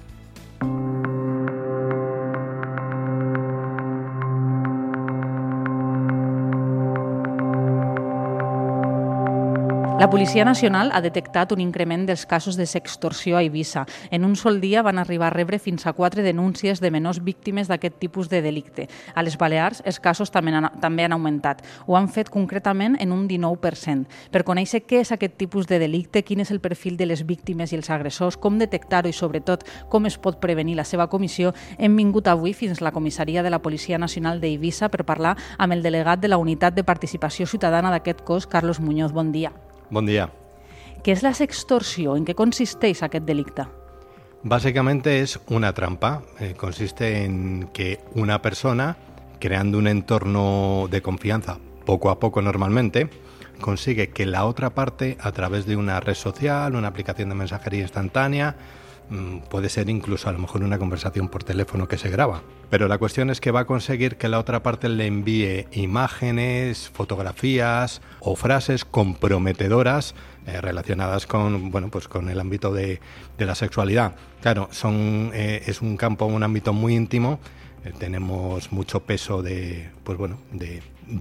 La Policia Nacional ha detectat un increment dels casos de sextorsió a Eivissa. En un sol dia van arribar a rebre fins a 4 denúncies de menors víctimes d'aquest tipus de delicte. A les Balears els casos també han augmentat. Ho han fet concretament en un 19%. Per conèixer què és aquest tipus de delicte, quin és el perfil de les víctimes i els agressors, com detectar-ho i sobretot com es pot prevenir la seva comissió, hem vingut avui fins a la comissaria de la Policia Nacional d'Eivissa per parlar amb el delegat de la Unitat de Participació Ciutadana d'aquest cos, Carlos Muñoz. Bon dia. Buen día. ¿Qué es la sextorsión? ¿En qué consiste aquest delicte? Básicamente es una trampa. Consiste en que una persona, creando un entorno de confianza poco a poco normalmente, consigue que la otra parte, a través de una red social, una aplicación de mensajería instantánea, puede ser incluso a lo mejor una conversación por teléfono que se graba. Pero la cuestión es que va a conseguir que la otra parte le envíe imágenes, fotografías o frases comprometedoras relacionadas con, bueno, pues con el ámbito de la sexualidad. Claro, es un campo, un ámbito muy íntimo. Tenemos mucho peso de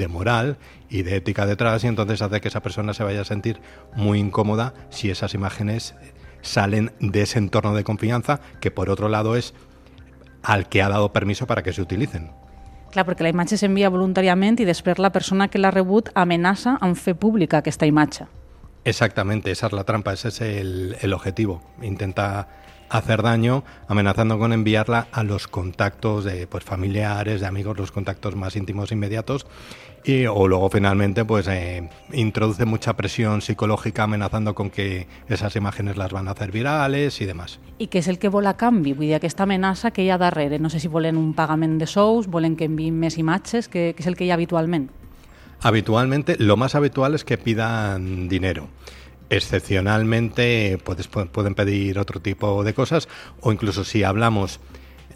moral y de ética detrás, y entonces hace que esa persona se vaya a sentir muy incómoda si esas imágenes salen de ese entorno de confianza, que por otro lado es al que ha dado permiso para que se utilicen. Clar, perquè la imatge s'envia voluntàriament i després la persona que l'ha rebut amenaça en fer pública aquesta imatge. Exactamente, esa es la trampa, ese es el objetivo. Intenta hacer daño amenazando con enviarla a los contactos de familiares, de amigos, los contactos más íntimos e inmediatos, o luego finalmente introduce mucha presión psicológica amenazando con que esas imágenes las van a hacer virales y demás. I què és el que vol a canvi? Vull dir, aquesta amenaça que hi ha darrere. No sé si volen un pagament de sous, volen que enviïn més imatges, què és el que hi ha habitualment? Habitualmente, lo más habitual es que pidan dinero. Excepcionalmente pueden pedir otro tipo de cosas, o incluso si hablamos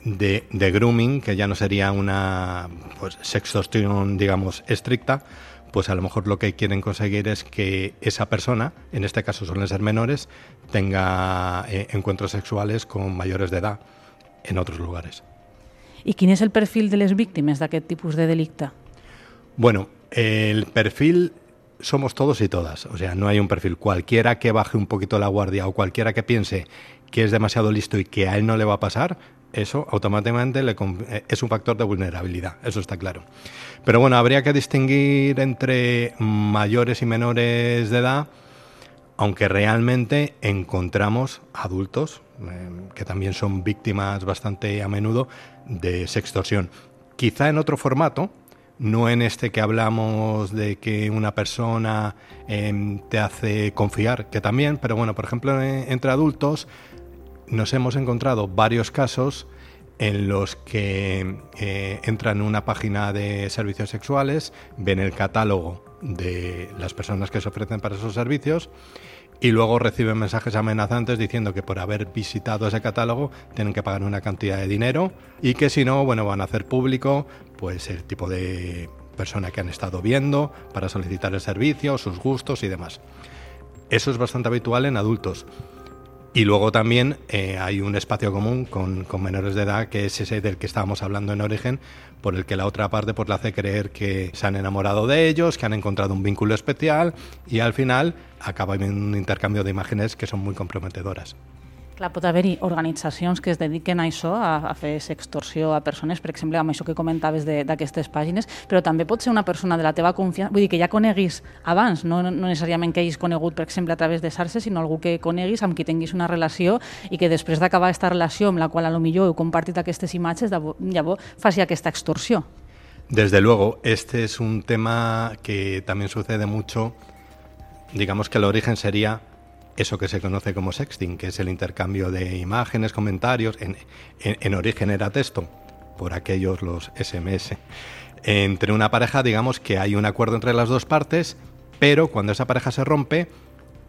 de grooming, que ya no sería una sextorsión, digamos, estricta, pues a lo mejor lo que quieren conseguir es que esa persona, en este caso suelen ser menores, tenga encuentros sexuales con mayores de edad en otros lugares. I quin és el perfil de les víctimes d'aquest tipus de delicte? Bueno, el perfil somos todos y todas, o sea, no hay un perfil. Cualquiera que baje un poquito la guardia o cualquiera que piense que es demasiado listo y que a él no le va a pasar, eso automáticamente es un factor de vulnerabilidad, eso está claro. Pero bueno, habría que distinguir entre mayores y menores de edad, aunque realmente encontramos adultos que también son víctimas bastante a menudo de sextorsión. Quizá en otro formato, no en este que hablamos de que una persona te hace confiar, que también, pero bueno, por ejemplo, entre adultos nos hemos encontrado varios casos en los que entran en una página de servicios sexuales, ven el catálogo de las personas que se ofrecen para esos servicios y luego reciben mensajes amenazantes diciendo que por haber visitado ese catálogo tienen que pagar una cantidad de dinero y que si no, bueno, van a hacer público pues el tipo de persona que han estado viendo para solicitar el servicio, sus gustos y demás. Eso es bastante habitual en adultos. Y luego también hay un espacio común con menores de edad, que es ese del que estábamos hablando en origen, por el que la otra parte le hace creer que se han enamorado de ellos, que han encontrado un vínculo especial y al final acaba en un intercambio de imágenes que son muy comprometedoras. Clar, pot haver-hi organitzacions que es dediquen a això, a fer sextorsió a persones, per exemple, amb això que comentaves d'aquestes pàgines, però també pot ser una persona de la teva confiança, vull dir que ja coneguis abans, no necessàriament que hagis conegut, per exemple, a través de xarxes, sinó algú que coneguis, amb qui tinguis una relació i que després d'acabar aquesta relació amb la qual potser heu compartit aquestes imatges, llavors faci aquesta extorsió. Desde luego, este es un tema que también sucede mucho, digamos que el origen sería eso que se conoce como sexting, que es el intercambio de imágenes, comentarios, en origen era texto, por aquellos los SMS. Entre una pareja, digamos que hay un acuerdo entre las dos partes, pero cuando esa pareja se rompe,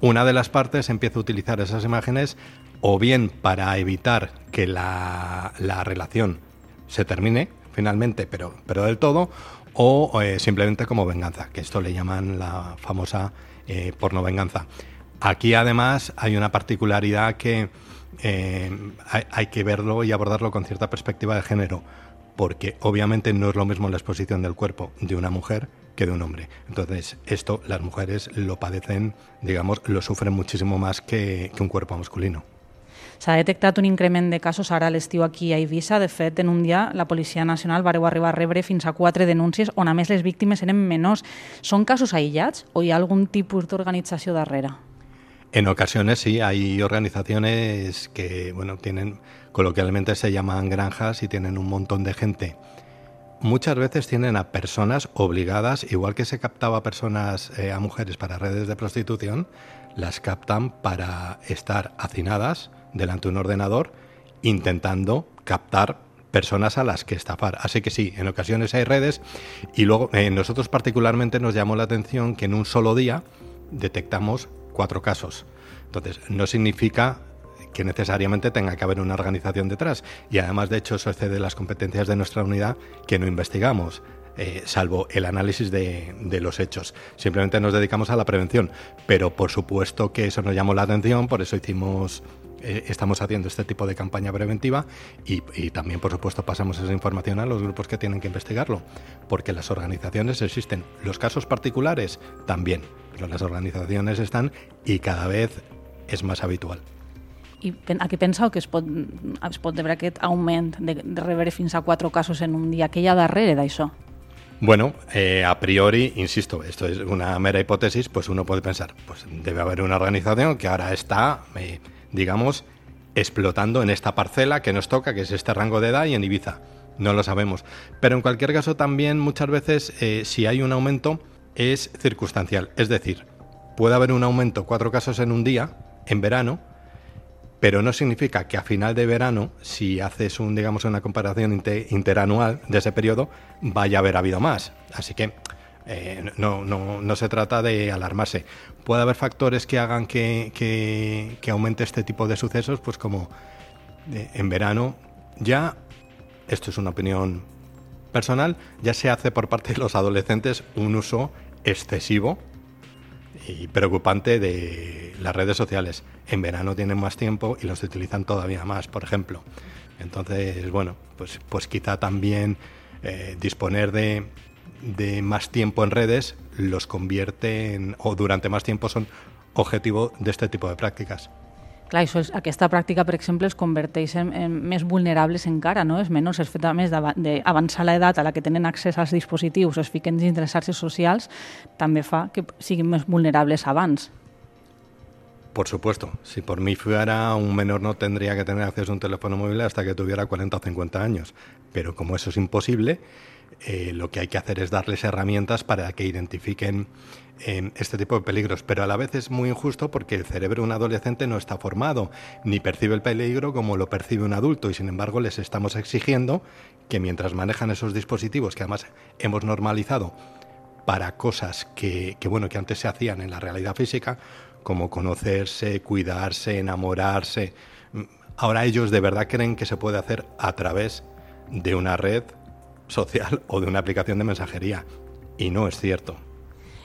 una de las partes empieza a utilizar esas imágenes o bien para evitar que la relación se termine finalmente, pero del todo, o simplemente como venganza, que esto le llaman la famosa pornovenganza. Aquí además hay una particularidad que hay que verlo y abordarlo con cierta perspectiva de género, porque obviamente no es lo mismo la exposición del cuerpo de una mujer que de un hombre. Entonces, esto las mujeres lo padecen, digamos, lo sufren muchísimo más que un cuerpo masculino. S'ha detectat un increment de casos ara a l'estiu aquí a Eivissa. De fet, en un dia la Policia Nacional va arribar a rebre fins a 4 denúncies on a més les víctimes eren menors. Són casos aïllats o hi ha algun tipus d'organització darrere? En ocasiones sí, hay organizaciones que, bueno, tienen, coloquialmente se llaman granjas y tienen un montón de gente. Muchas veces tienen a personas obligadas, igual que se captaba personas, a mujeres para redes de prostitución, las captan para estar hacinadas delante de un ordenador intentando captar personas a las que estafar. Así que sí, en ocasiones hay redes y luego nosotros particularmente nos llamó la atención que en un solo día detectamos 4 casos. Entonces, no significa que necesariamente tenga que haber una organización detrás y además, de hecho, eso excede las competencias de nuestra unidad, que no investigamos, salvo el análisis de los hechos. Simplemente nos dedicamos a la prevención, pero por supuesto que eso nos llamó la atención, por eso estamos haciendo este tipo de campaña preventiva y también, por supuesto, pasamos esa información a los grupos que tienen que investigarlo, porque las organizaciones existen, los casos particulares también, pero las organizaciones están y cada vez és més habitual. I a què penseu que es pot veure aquest augment de rebre fins a 4 casos en un dia? Què hi ha darrere d'això? Bueno, a priori, insisto, esto es una mera hipótesis, pues uno puede pensar, pues debe haber una organización que ahora está, digamos, explotando en esta parcela que nos toca, que es este rango de edad y en Ibiza. No lo sabemos. Pero en cualquier caso también muchas veces si hay un aumento es circunstancial. Es decir, puede haber un aumento, 4 casos en un día, en verano, pero no significa que a final de verano, si haces una comparación interanual de ese periodo, vaya a haber habido más. Así que no se trata de alarmarse. Puede haber factores que hagan que aumente este tipo de sucesos, pues como en verano ya, esto es una opinión personal, ya se hace por parte de los adolescentes un uso excesivo y preocupante de las redes sociales. En verano tienen más tiempo y los utilizan todavía más, por ejemplo. Entonces, bueno, pues quizá también disponer de más tiempo en redes los convierte en, o durante más tiempo son objetivo de este tipo de prácticas. Clar, aquesta pràctica, per exemple, es converteix en més vulnerables encara, no? Els menors, el fet a més d'avançar l'edat a la que tenen accés als dispositius, es fiquen dins de les xarxes socials, també fa que siguin més vulnerables abans. Por supuesto, si por mí fuera, un menor no tendría que tener acceso a un teléfono móvil hasta que tuviera 40 o 50 años, pero como eso es imposible, lo que hay que hacer es darles herramientas para que identifiquen este tipo de peligros, pero a la vez es muy injusto porque el cerebro de un adolescente no está formado, ni percibe el peligro como lo percibe un adulto y sin embargo les estamos exigiendo que mientras manejan esos dispositivos que además hemos normalizado para cosas que antes se hacían en la realidad física, como conocerse, cuidarse, enamorarse, ahora ellos de verdad creen que se puede hacer a través de una red social o de una aplicación de mensajería i no és cierto.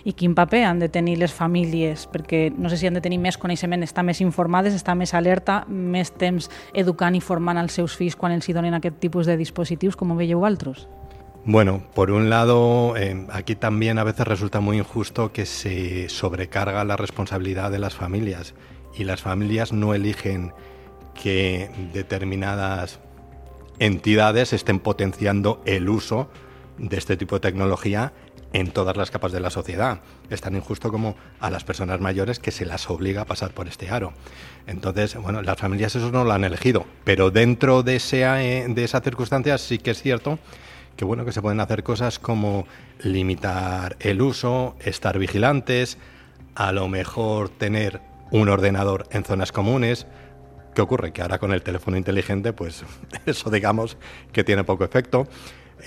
I quin paper han de tenir les famílies? Perquè no sé si han de tenir més coneixement, estar més informades, estar més alerta, més temps educant i formant els seus fills quan els hi donen aquest tipus de dispositius, com ho veieu altres? Bueno, por un lado, aquí también a veces resulta muy injusto que se sobrecarga la responsabilidad de las familias y las familias no eligen que determinadas entidades estén potenciando el uso de este tipo de tecnología en todas las capas de la sociedad. Es tan injusto como a las personas mayores que se las obliga a pasar por este aro. Entonces, bueno, las familias eso no lo han elegido, pero dentro de esas circunstancias sí que es cierto que que se pueden hacer cosas como limitar el uso, estar vigilantes, a lo mejor tener un ordenador en zonas comunes. ¿Qué ocurre? Que ahora con el teléfono inteligente, pues eso digamos que tiene poco efecto.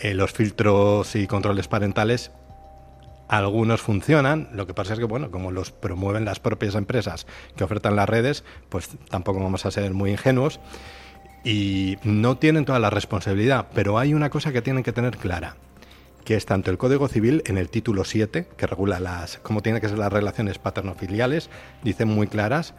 Los filtros y controles parentales, algunos funcionan, lo que pasa es que, como los promueven las propias empresas que ofertan las redes, pues tampoco vamos a ser muy ingenuos y no tienen toda la responsabilidad, pero hay una cosa que tienen que tener clara, que es tanto el Código Civil en el título 7, que regula cómo tienen que ser las relaciones paterno-filiales, dicen muy claras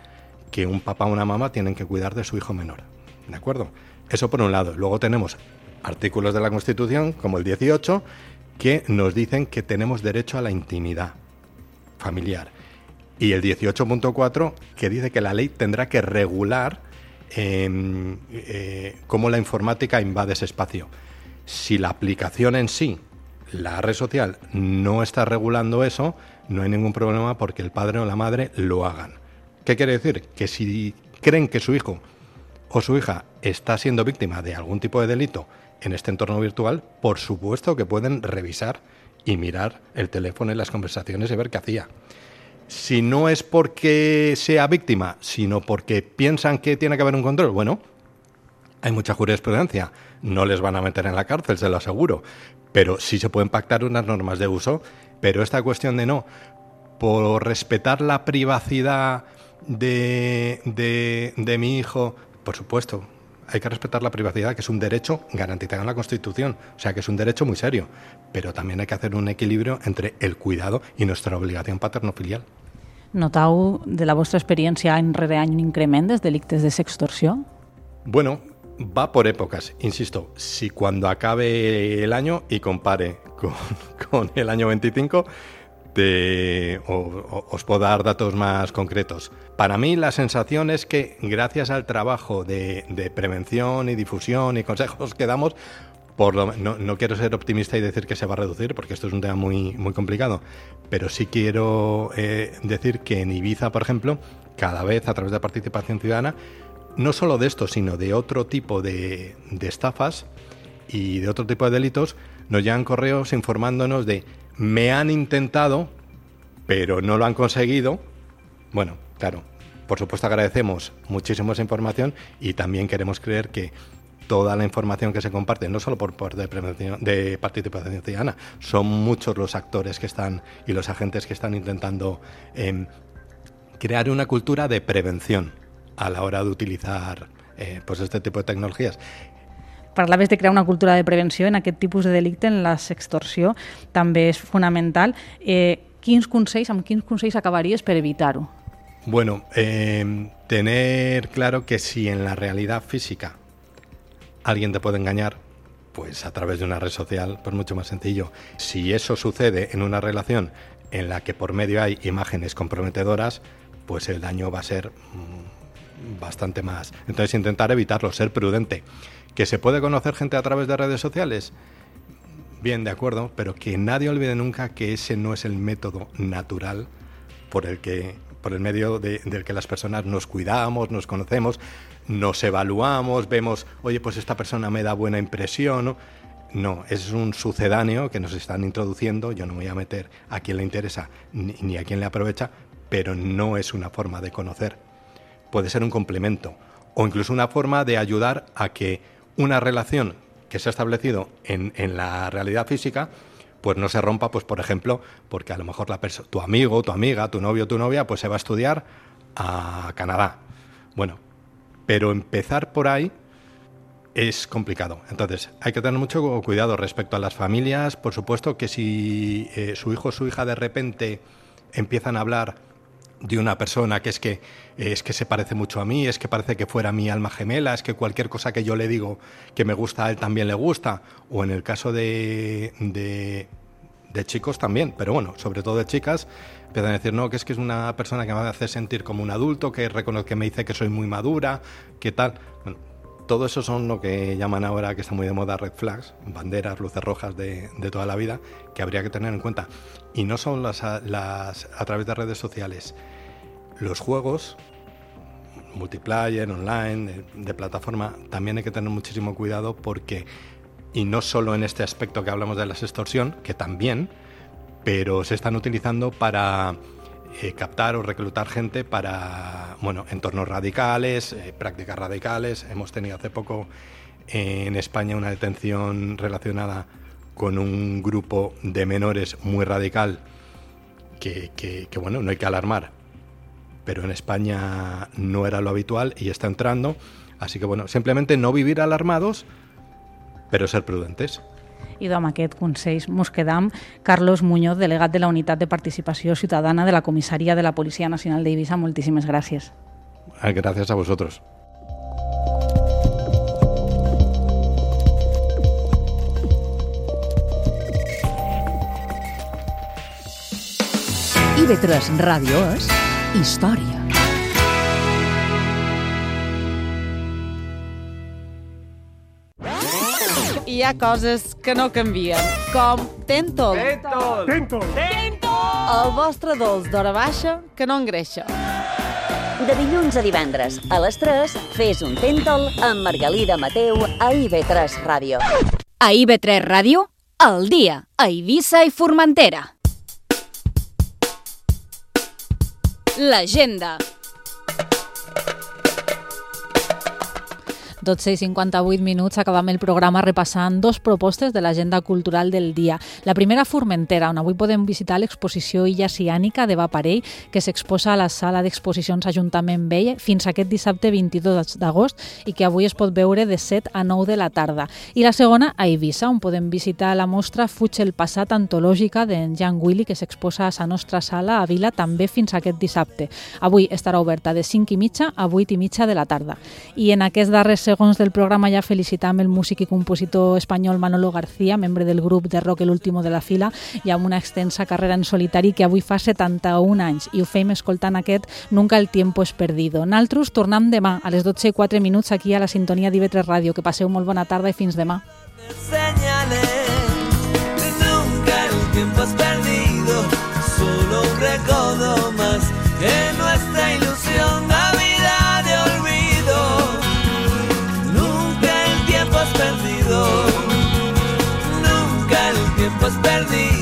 que un papá o una mamá tienen que cuidar de su hijo menor, ¿de acuerdo? Eso por un lado. Luego tenemos artículos de la Constitución, como el 18, que nos dicen que tenemos derecho a la intimidad familiar. Y el 18.4 que dice que la ley tendrá que regular cómo la informática invade ese espacio. Si la aplicación en sí, la red social, no está regulando eso, no hay ningún problema porque el padre o la madre lo hagan. ¿Qué quiere decir? Que si creen que su hijo o su hija está siendo víctima de algún tipo de delito en este entorno virtual, por supuesto que pueden revisar y mirar el teléfono y las conversaciones y ver qué hacía. Si no es porque sea víctima, sino porque piensan que tiene que haber un control, bueno, hay mucha jurisprudencia. No les van a meter en la cárcel, se lo aseguro. Pero sí se pueden pactar unas normas de uso. Pero esta cuestión de no, por respetar la privacidad de mi hijo, por supuesto, hay que respetar la privacidad, que es un derecho garantizado en la Constitución. O sea, que es un derecho muy serio. Pero también hay que hacer un equilibrio entre el cuidado y nuestra obligación paterno-filial. Notau de la vostra experiència any rere any un increment dels delictes de sextorsió? Bueno, va por épocas, insisto. Si cuando acabe el año y compare con el año 25, os puedo dar datos más concretos. Para mí la sensación es que gracias al trabajo de prevención y difusión y consejos que damos, no quiero ser optimista y decir que se va a reducir, porque esto es un tema muy, muy complicado, pero sí quiero decir que en Ibiza, por ejemplo, cada vez a través de participación ciudadana, no solo de esto, sino de otro tipo de estafas y de otro tipo de delitos, nos llegan correos informándonos de me han intentado, pero no lo han conseguido. Bueno, claro, por supuesto agradecemos muchísimo esa información y también queremos creer que toda la información que se comparte, no solo por de participación ciudadana, son muchos los actores que están y los agentes que están intentando crear una cultura de prevención a la hora de utilizar pues este tipo de tecnologías. Parlaves de crear una cultura de prevenció en aquest tipus de delicte, en la sextorsió, també és fonamental. Amb quins consells acabaries per evitar-ho? Bueno, tener claro que si en la realidad física alguien te puede engañar, pues a través de una red social, pues mucho más sencillo. Si eso sucede en una relación en la que por medio hay imágenes comprometedoras, pues el daño va a ser bastante más. Entonces intentar evitarlo, ser prudente. ¿Que se puede conocer gente a través de redes sociales? Bien, de acuerdo, pero que nadie olvide nunca que ese no es el método natural por el medio del que las personas nos cuidamos, nos conocemos, nos evaluamos, vemos, oye, pues esta persona me da buena impresión. No, es un sucedáneo que nos están introduciendo. Yo no me voy a meter a quien le interesa ni a quien le aprovecha, pero no es una forma de conocer. Puede ser un complemento o incluso una forma de ayudar a que una relación que se ha establecido en la realidad física pues no se rompa, pues por ejemplo, porque a lo mejor tu amigo, tu amiga, tu novio, tu novia, pues se va a estudiar a Canadá. Bueno, pero empezar por ahí es complicado. Entonces, hay que tener mucho cuidado respecto a las familias. Por supuesto que si su hijo o su hija de repente empiezan a hablar de una persona que es que se parece mucho a mí, es que parece que fuera mi alma gemela, es que cualquier cosa que yo le digo que me gusta a él también le gusta, o en el caso de chicos también, pero bueno, sobre todo de chicas, empiezan a decir, no, que es una persona que me hace sentir como un adulto, que me dice que soy muy madura, que tal. Bueno, todo eso son lo que llaman ahora, que está muy de moda, red flags, banderas, luces rojas de toda la vida, que habría que tener en cuenta. Y no son a través de redes sociales. Los juegos, multiplayer, online, de plataforma, también hay que tener muchísimo cuidado porque, y no solo en este aspecto que hablamos de la sextorsión, que también, pero se están utilizando para captar o reclutar gente para entornos radicales, prácticas radicales. Hemos tenido hace poco en España una detención relacionada con un grupo de menores muy radical que no hay que alarmar, pero en España no era lo habitual y está entrando. Así que simplemente no vivir alarmados, pero ser prudentes. I amb aquest consell mos quedam. Carlos Muñoz, delegat de la Unitat de Participació Ciutadana de la Comissaria de la Policia Nacional d'Eivissa, moltíssimes gràcies. Gracias a vosotros. IB3 Ràdio és història. Hi ha coses que no canvien, com Tentol. Tentol! El vostre dolç d'hora baixa que no engreixa. De dilluns a divendres, a les 3, fes un Tentol amb Margalida Mateu a IB3 Ràdio. A IB3 Ràdio, al dia, a Eivissa i Formentera. L'agenda. 12:58, acabam el programa repassant dos propostes de l'agenda cultural del dia. La primera, Formentera, on avui podem visitar l'exposició Illa Ciànica de Vaparell, que s'exposa a la sala d'exposicions Ajuntament Vell fins aquest dissabte 22 d'agost i que avui es pot veure de 7 a 9 de la tarda. I la segona, a Eivissa, on podem visitar la mostra Fuig el passat antològica d'en Jan Willy, que s'exposa a la nostra sala a Vila també fins aquest dissabte. Avui estarà oberta de 5:30 a 8:30 de la tarda. I en aquest darrer segons del programa ja felicitam el músic i compositor espanyol Manolo García, membre del grup de rock El Último de la Fila i amb una extensa carrera en solitari que avui fa 71 anys i ho fem escoltant aquest Nunca el tiempo es perdido. Naltros tornem demà a les 12:04 aquí a la sintonia d'IB3 Ràdio. Que passeu molt bona tarda i fins demà. Nunca el tiempo es perdido, solo un recodo más en nuestra ilusión. Perdido, nunca el tiempo es perdido.